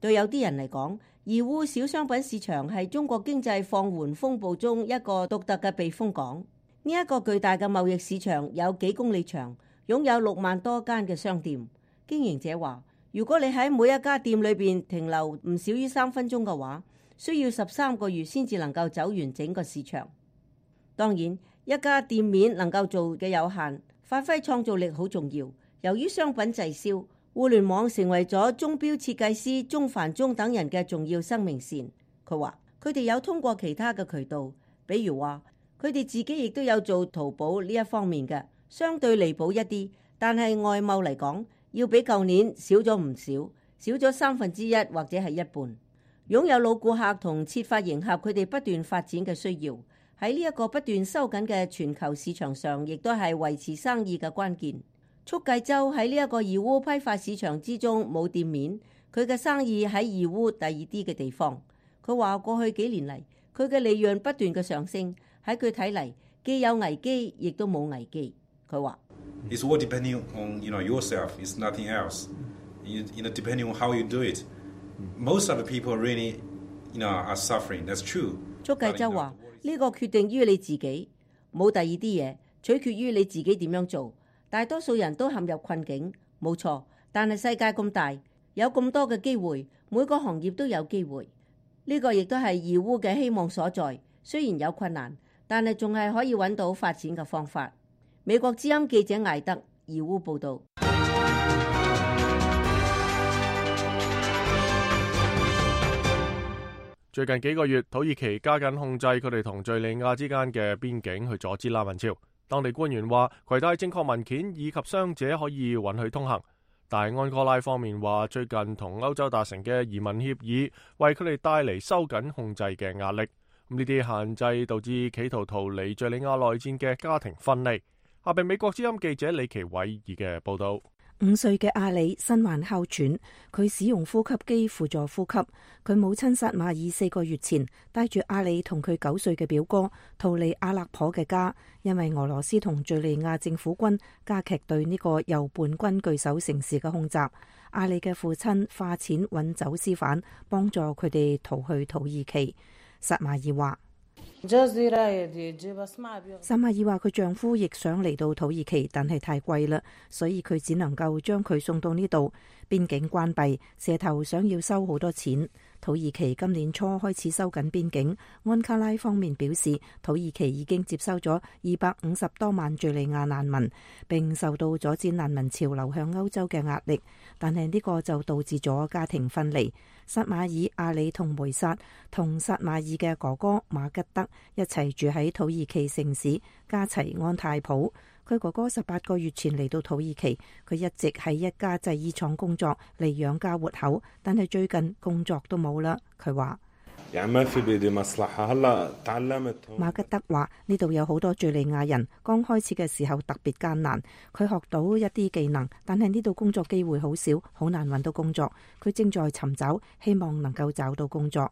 對有啲人嚟講，義烏小商品市場係中國經濟放緩風暴中一個獨特嘅避風港。呢一個巨大嘅貿易市場有幾公里長，擁有六萬多間嘅商店。經營者話，如果你喺每一家店裏邊停留唔少於三分鐘嘅話，需要十三個月先至能夠走完整個市場。當然，一家店面能夠做嘅有限，發揮創造力好重要。由於商品滯銷，互聯網成為咗鐘錶設計師鐘凡中等人嘅重要生命線。佢話佢哋有通過其他嘅渠道，比如話佢哋自己亦都有做淘寶呢一方面嘅，相對離譜一啲，但係外貿嚟講，要比舊年少咗唔少，少咗三分之一或者係一半。擁有老顧客同設法迎合佢哋不斷發展嘅需要，喺呢一個不斷收緊嘅全球市場上，亦都係維持生意嘅關鍵。速繼州喺呢一個義烏批發市場之中冇店面，佢嘅生意喺義烏第二啲嘅地方。佢話過去幾年嚟，佢嘅利潤不斷嘅上升，喺佢睇嚟既有危機，亦都冇危機。佢話：It's all depending on you know yourself. It's nothing else. You, you know, depending on how you do it. Most of the people really, you know, are suffering. That's true. 速繼州話呢個決定於你自己，冇第二啲嘢，取決於你自己點樣做。大多數人都陷入困境，冇錯。但係世界咁大，有咁多嘅機會，每個行業都有機會。呢個亦都係義烏嘅希望所在。雖然有困難，但係仲係可以揾到發展嘅方法。美國之音記者艾德義烏報導。最近幾個月，土耳其加緊控制佢哋同敘利亞之間嘅邊境，去阻止難民潮。當地官員話，攜帶正確文件以及傷者可以允許通行。但係安哥拉方面話，最近同歐洲達成嘅移民協議，為佢哋帶嚟收緊控制嘅壓力。咁呢啲限制導致企圖逃離敘利亞內戰嘅家庭分離。下邊美國之音記者李奇偉爾嘅報道。五歲嘅阿里身患哮喘，佢使用呼吸機輔助呼吸。佢母親薩馬爾四個月前帶住阿里同佢九歲嘅表哥逃離阿勒頗嘅家，因為俄羅斯同敘利亞政府軍加劇對呢個由叛軍據守城市嘅空襲。阿里嘅父親花錢揾走私犯，幫助佢哋逃去土耳其。薩馬爾話。薩馬爾話佢丈夫亦想嚟到土耳其，但係太貴啦，所以佢只能夠將佢送到呢度。邊境關閉，蛇頭想要收好多錢。土耳其今年初開始收緊邊境。安卡拉方面表示，土耳其已經接收咗二百五十多萬敘利亞難民，並受到阻止難民潮流向歐洲嘅壓力。但係呢個就導致咗家庭分離。薩馬爾、阿里同梅薩同薩馬爾嘅哥哥馬吉德一齊住喺土耳其城市加齊安泰普。佢哥哥十八個月前嚟到土耳其，佢一直喺一家製衣廠工作嚟養家活口，但係最近工作都冇啦。佢話：馬吉德話呢度有好多敘利亞人，剛開始嘅時候特別艱難。佢學到一啲技能，但係呢度工作機會好少，好難揾到工作。佢正在尋找，希望能夠找到工作。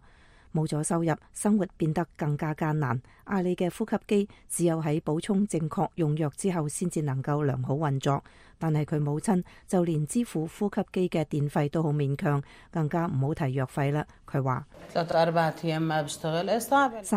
冇咗收入，生活變得更加艱難。阿里嘅呼吸機只有喺補充正確用藥之後先至能夠良好運作，但係佢母親就連支付呼吸機嘅電費都好勉強，更加唔好提藥費啦。佢話：薩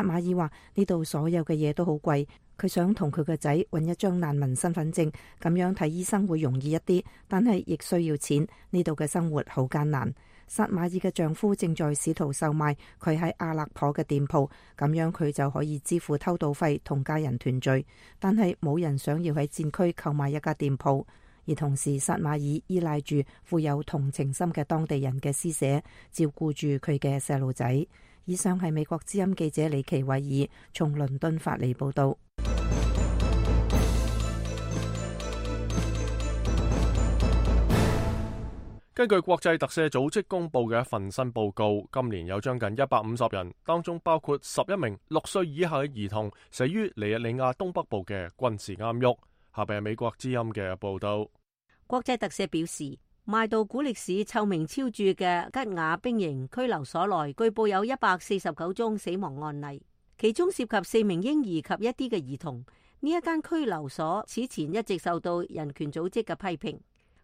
馬爾話呢度所有嘅嘢都好貴，佢想同佢個仔揾一張難民身份證，咁樣睇醫生會容易一啲，但係亦需要錢。呢度嘅生活好艱難。薩馬爾嘅丈夫正在試圖售賣佢喺阿勒頗嘅店鋪，咁樣佢就可以支付偷渡費同家人團聚。但係冇人想要喺戰區購買一家店鋪，而同時薩馬爾依賴住富有同情心嘅當地人嘅施捨，照顧住佢嘅細路仔。以上係美國之音記者李奇偉爾從倫敦發嚟報道。根據國際特赦組織公佈嘅一份新報告，今年有將近一百五十人，當中包括十一名六歲以下嘅兒童，死於尼日利亞東北部嘅軍事監獄。下邊係美國之音嘅報導。國際特赦表示，邁杜古力市臭名昭著嘅吉雅兵營拘留所內，據報有一百四十九宗死亡案例，其中涉及四名嬰兒及一啲嘅兒童。呢一間拘留所此前一直受到人權組織嘅批評。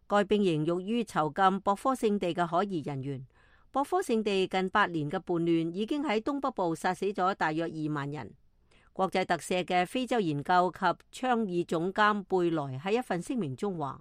該兵營用於囚禁博科聖地嘅可疑人員。博科聖地近八年嘅叛亂已經喺東北部殺死咗大約二萬人。國際特赦嘅非洲研究及倡議總監貝萊喺一份聲明中話：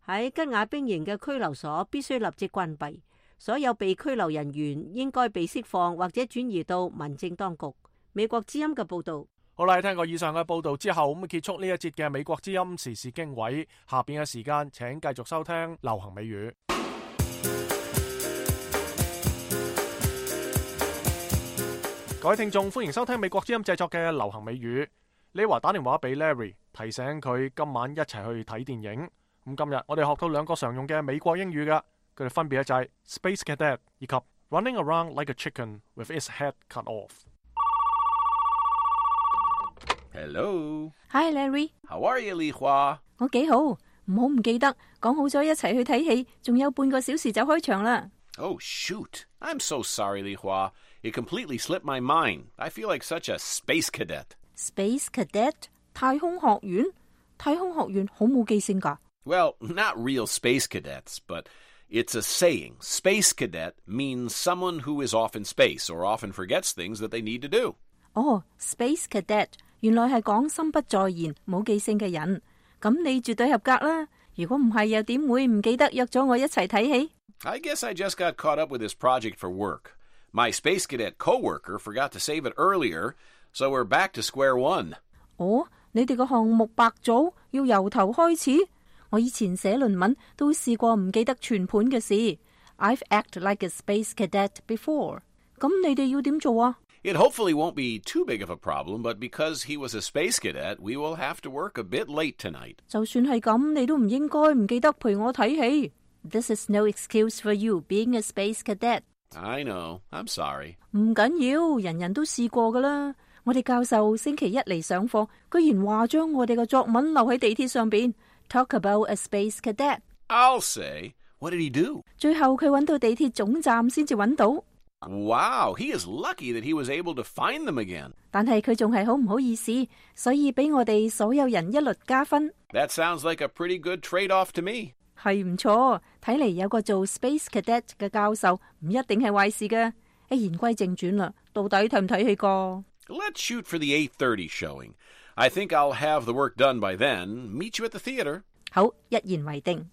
喺吉雅兵營嘅拘留所必須立即關閉，所有被拘留人員應該被釋放或者轉移到民政當局。美國之音嘅報道。好啦，聽過以上嘅報道之後，咁結束呢一節嘅美國之音時事經緯。下邊嘅時間，請繼續收聽流行美語。各位聽眾，歡迎收聽美國之音製作嘅流行美語。李華打電話俾 Larry， 提醒佢今晚一齊去睇電影。咁今日我哋學到兩個常用嘅美國英語㗎，佢哋分別就係 Space Cadet 以及 running around like a chicken with its head cut off. Hello. Hi Larry. How are you, Li Hua? 我幾好，唔好唔記得講好咗一齊去睇戲，仲有半個小時就開場啦。Oh, shoot. I'm so sorry, Li Hua. It completely slipped my mind. I feel like such a space cadet. Space cadet? 太空學院？太空學院好冇記性㗎。Well, not real space cadets, but it's a saying. Space cadet means someone who is off in space or often forgets things that they need to do. 哦 ，Space cadet 原來係講心不在焉、冇記性嘅人。咁你絕對合格啦。如果唔係，又點會唔記得約咗我一齊睇戲？ I guess I just got caught up with this project for work. My space cadet coworker forgot to save it earlier, so we're back to square one. 哦，你哋個項目白組要由頭開始？我以前寫論文都試過唔記得全盤嘅事。I've acted like a space cadet before. 咁你哋要點做啊？ It hopefully won't be too big of a problem, but because he was a space cadet, we will have to work a bit late tonight. 就算係咁，你都唔應該唔記得陪我睇戲。This is no excuse for you being a space cadet. I know. I'm sorry. 唔緊要，人人都試過噶啦。我哋教授星期一嚟上課，居然話將我哋嘅作文留喺地鐵上邊。Talk about a space cadet. I'll say. What did he do? 最後佢揾到地鐵總站先至揾到。Wow, he is lucky that he was able to find them again. 但係佢仲係好唔好意思，所以俾我哋所有人一律加分。That sounds like a pretty good trade-off to me. 係唔錯，睇嚟有個做 Space Cadet 嘅教授唔一定係壞事嘅。誒，言歸正傳啦，到底睇唔睇戲個？ Let's shoot for the eight thirty showing. I think I'll have the work done by then. Meet you at the theater. 好，一言為定。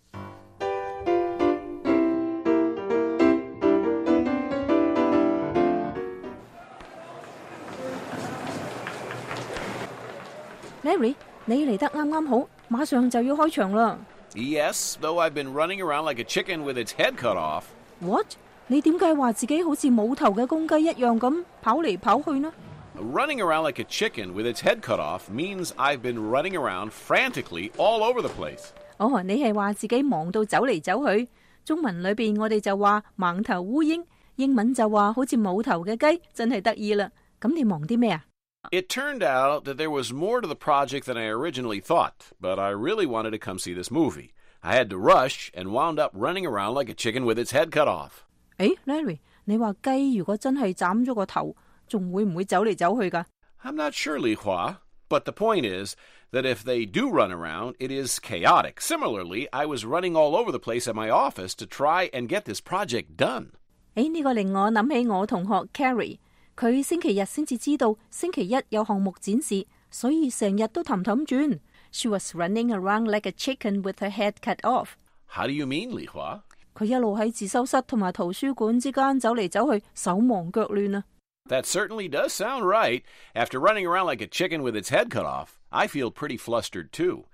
Larry， 你嚟得啱啱好，馬上就要開場啦。Yes, though I've been running around like a chicken with its head cut off. What？ 你點解話自己好似冇頭嘅公雞一樣咁跑嚟跑去呢？ Running around like a chicken with its head cut off means I've been running around frantically all over the place. 哦，你係話自己忙到走嚟走去。中文裏邊我哋就話盲頭烏蠅，英文就話好似冇頭嘅雞，真係得意啦。咁你忙啲咩啊？ It turned out that there was more to the project than I originally thought, but I really wanted to come see this movie. I had to rush and wound up running around like a chicken with its head cut off. 誒 Larry， 你話雞如果真係斬咗個頭，仲會唔會走嚟走去㗎？ I'm not sure, Li Hua, but the point is that if they do run around, it is chaotic. Similarly, I was running all over the place at my office to try and get this project done. 誒，呢個令我諗起我同學 Carrie。佢星期日先至知道星期一有項目展示，所以成日都氹氹轉。She was running around like a chicken with her head cut off. How do you mean, Li Hua? 佢一路喺自修室同埋圖書館之間走嚟走去，手忙腳亂啊。That certainly does sound right. After running around like a chicken with its head cut off, I feel pretty flustered too.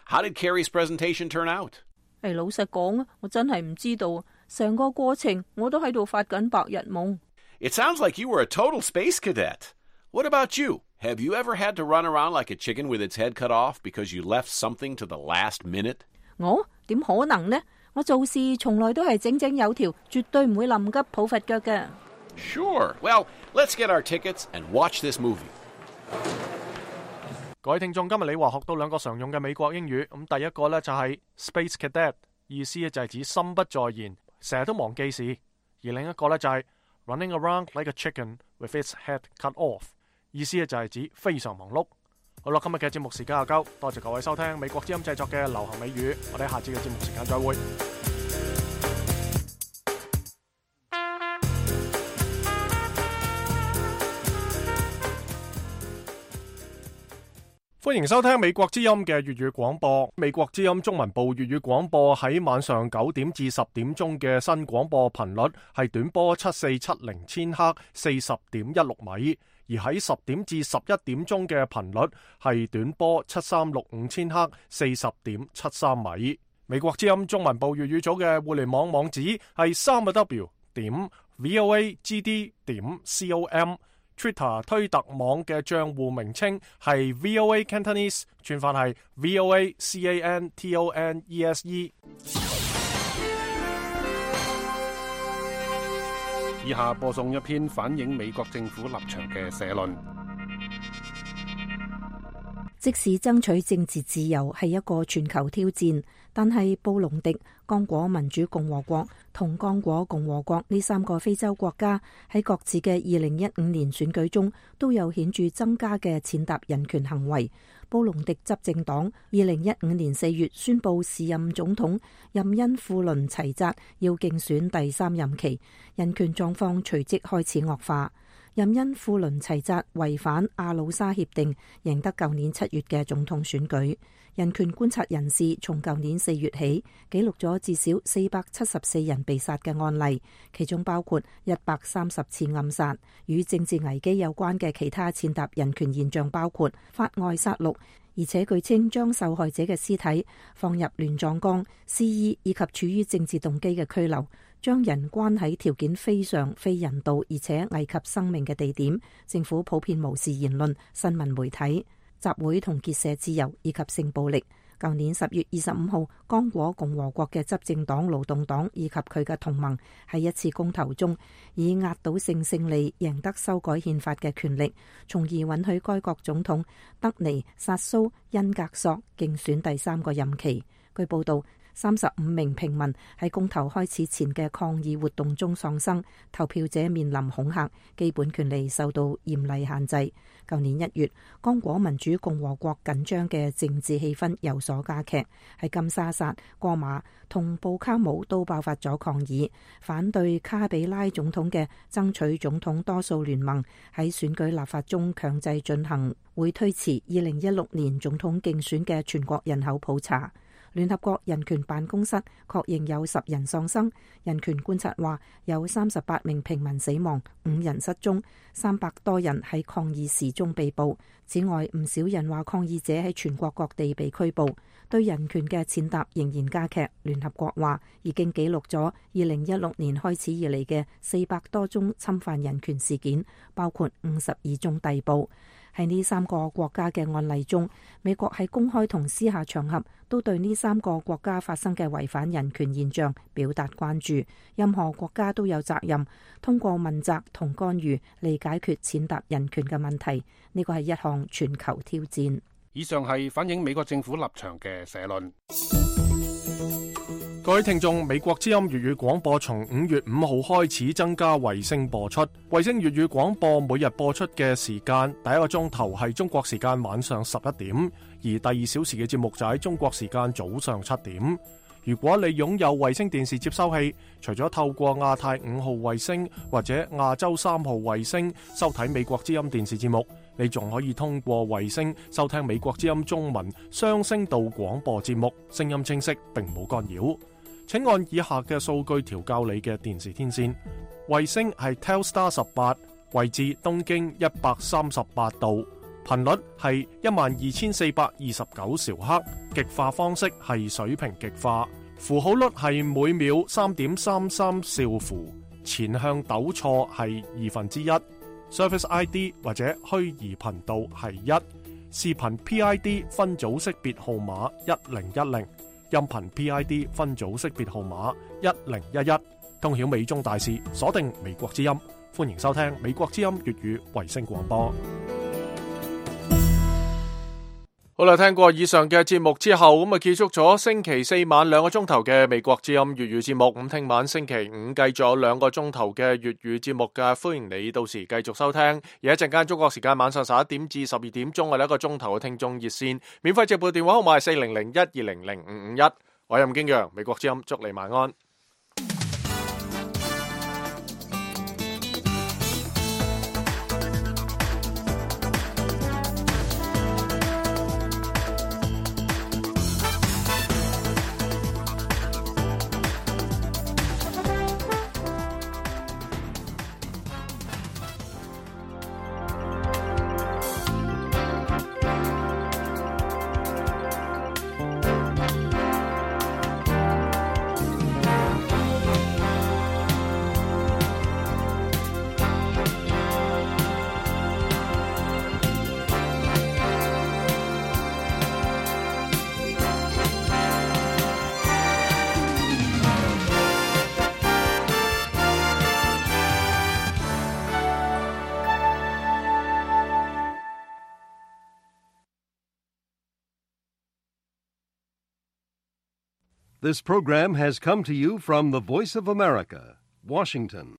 How did Carrie's presentation turn out? 誒，老實講啊，我真係唔知道，成個過程我都喺度發緊白日夢。It sounds like you were a total space cadet. What about you? Have you ever had to run around like a chicken with its head cut off because you left something to the last minute? 我點可能呢？我做事從來都係整整有條，絕對唔會臨急抱佛腳嘅。Sure. Well, let's get our tickets and watch this movie. 各位聽眾，今日你話學到兩個常用嘅美國英語，咁第一個呢就係 Space Cadet， 意思就係指心不在焉，成日都忘記事；而另一個呢就係Running around like a chicken with its head cut off， 意思就係指非常忙碌。好啦，今日嘅節目時間又夠，多謝各位收聽美國之音製作嘅流行美語，我哋下次嘅節目時間再會。歡迎收聽美國之音嘅粵語廣播。美國之音中文部粵語廣播喺晚上九點至十點鐘嘅新廣播頻率係短波七四七零千赫四十點一六米，而喺十點至十一點鐘嘅頻率係短波七三六五千赫四十點七三米。美國之音中文部粵語組嘅互聯網網址係三個 W 點 voagd 點 com。Twitter 推特網嘅賬戶名稱係 V O A Cantonese， 串法係 V O A C A N T O N E S E。以下播送一篇反映美國政府立場嘅社論。即使爭取政治自由係一個全球挑戰，但係布隆迪、剛果民主共和國同剛果共和國呢三個非洲國家喺各自嘅二零一五年選舉中都有顯著增加嘅踐踏人權行為。布隆迪執政黨二零一五年四月宣布時任總統任恩庫倫齊扎要競選第三任期，人權狀況隨即開始惡化。任恩庫倫齊扎違反阿魯沙協定，贏得舊年七月嘅總統選舉。人權觀察人士從舊年四月起記錄咗至少四百七十四人被殺嘅案例，其中包括一百三十次暗殺。與政治危機有關嘅其他踐踏人權現象包括法外殺戮，而且據稱將受害者嘅屍體放入亂葬崗、肆意以及處於政治動機嘅拘留，將人關喺條件非常非人道而且危及生命嘅地點。政府普遍無視言論、新聞媒體、集會同結社自由以及性暴力。舊年十月二十五號，剛果共和國嘅執政黨勞動黨以及佢嘅同盟喺一次公投中以壓倒性勝利贏得修改憲法嘅權力，從而允許該國總統德尼薩蘇恩格索競選第三個任期。據報道，三十五名平民喺公投開始前嘅抗議活動中喪生，投票者面臨恐嚇，基本權利受到嚴厲限制。舊年一月，剛果民主共和國緊張嘅政治氣氛有所加劇，喺金沙薩、戈馬同布卡姆都爆發咗抗議，反對卡比拉總統嘅爭取總統多數聯盟喺選舉立法中強制進行，會推遲二零一六年總統競選嘅全國人口普查。聯合國人權辦公室確認有十人喪生，人權觀察話有三十八名平民死亡，五人失蹤，三百多人喺抗議時中被捕。此外，唔少人話抗議者喺全國各地被拘捕，對人權嘅踐踏仍然加劇。聯合國話已經記錄咗二零一六年開始以嚟嘅四百多宗侵犯人權事件，包括五十二宗逮捕。喺呢三個國家嘅案例中，美國喺公開同私下場合都對呢三個國家發生嘅違反人權現象表達關注。任何國家都有責任通過問責同干預嚟解決踐踏人權嘅問題。呢個係一項全球挑戰。以上係反映美國政府立場嘅社論。各位聽眾，美國之音粵語廣播從五月五號開始增加衛星播出。衛星粵語廣播每日播出嘅時間，第一個鐘頭係中國時間晚上十一點，而第二小時嘅節目就喺中國時間早上七點。如果你擁有衛星電視接收器，除咗透過亞太五號衛星或者亞洲三號衛星收睇美國之音電視節目，你仲可以通過衛星收聽美國之音中文雙聲道廣播節目，聲音清晰並冇干擾。請按以下嘅數據調校你嘅電視天線。衛星係 Telstar 十八，位置東經一百三十八度，頻率係一萬二千四百二十九兆赫，極化方式係水平極化，符號率係每秒三點三三兆符，前向抖錯係二分之一，Service I D 或者虛擬頻道係一，視頻 P I D 分組識別號碼一零一零。音頻 P I D 分組識別號碼一零一一，通曉美中大事，鎖定美國之音，歡迎收聽美國之音粵語衛星廣播。好啦，聽過以上嘅節目之後，咁啊結束咗星期四晚兩個鐘頭嘅美國之音粵語節目。咁聽晚星期五繼續有兩個鐘頭嘅粵語節目嘅，歡迎你到時繼續收聽。而一陣間中國時間晚上十一點至十二點鐘嘅一個鐘頭嘅聽眾熱線，免費直播電話號碼係四零零一二零零五五一。我係任經陽，美國之音，祝你晚安。This program has come to you from the Voice of America, Washington.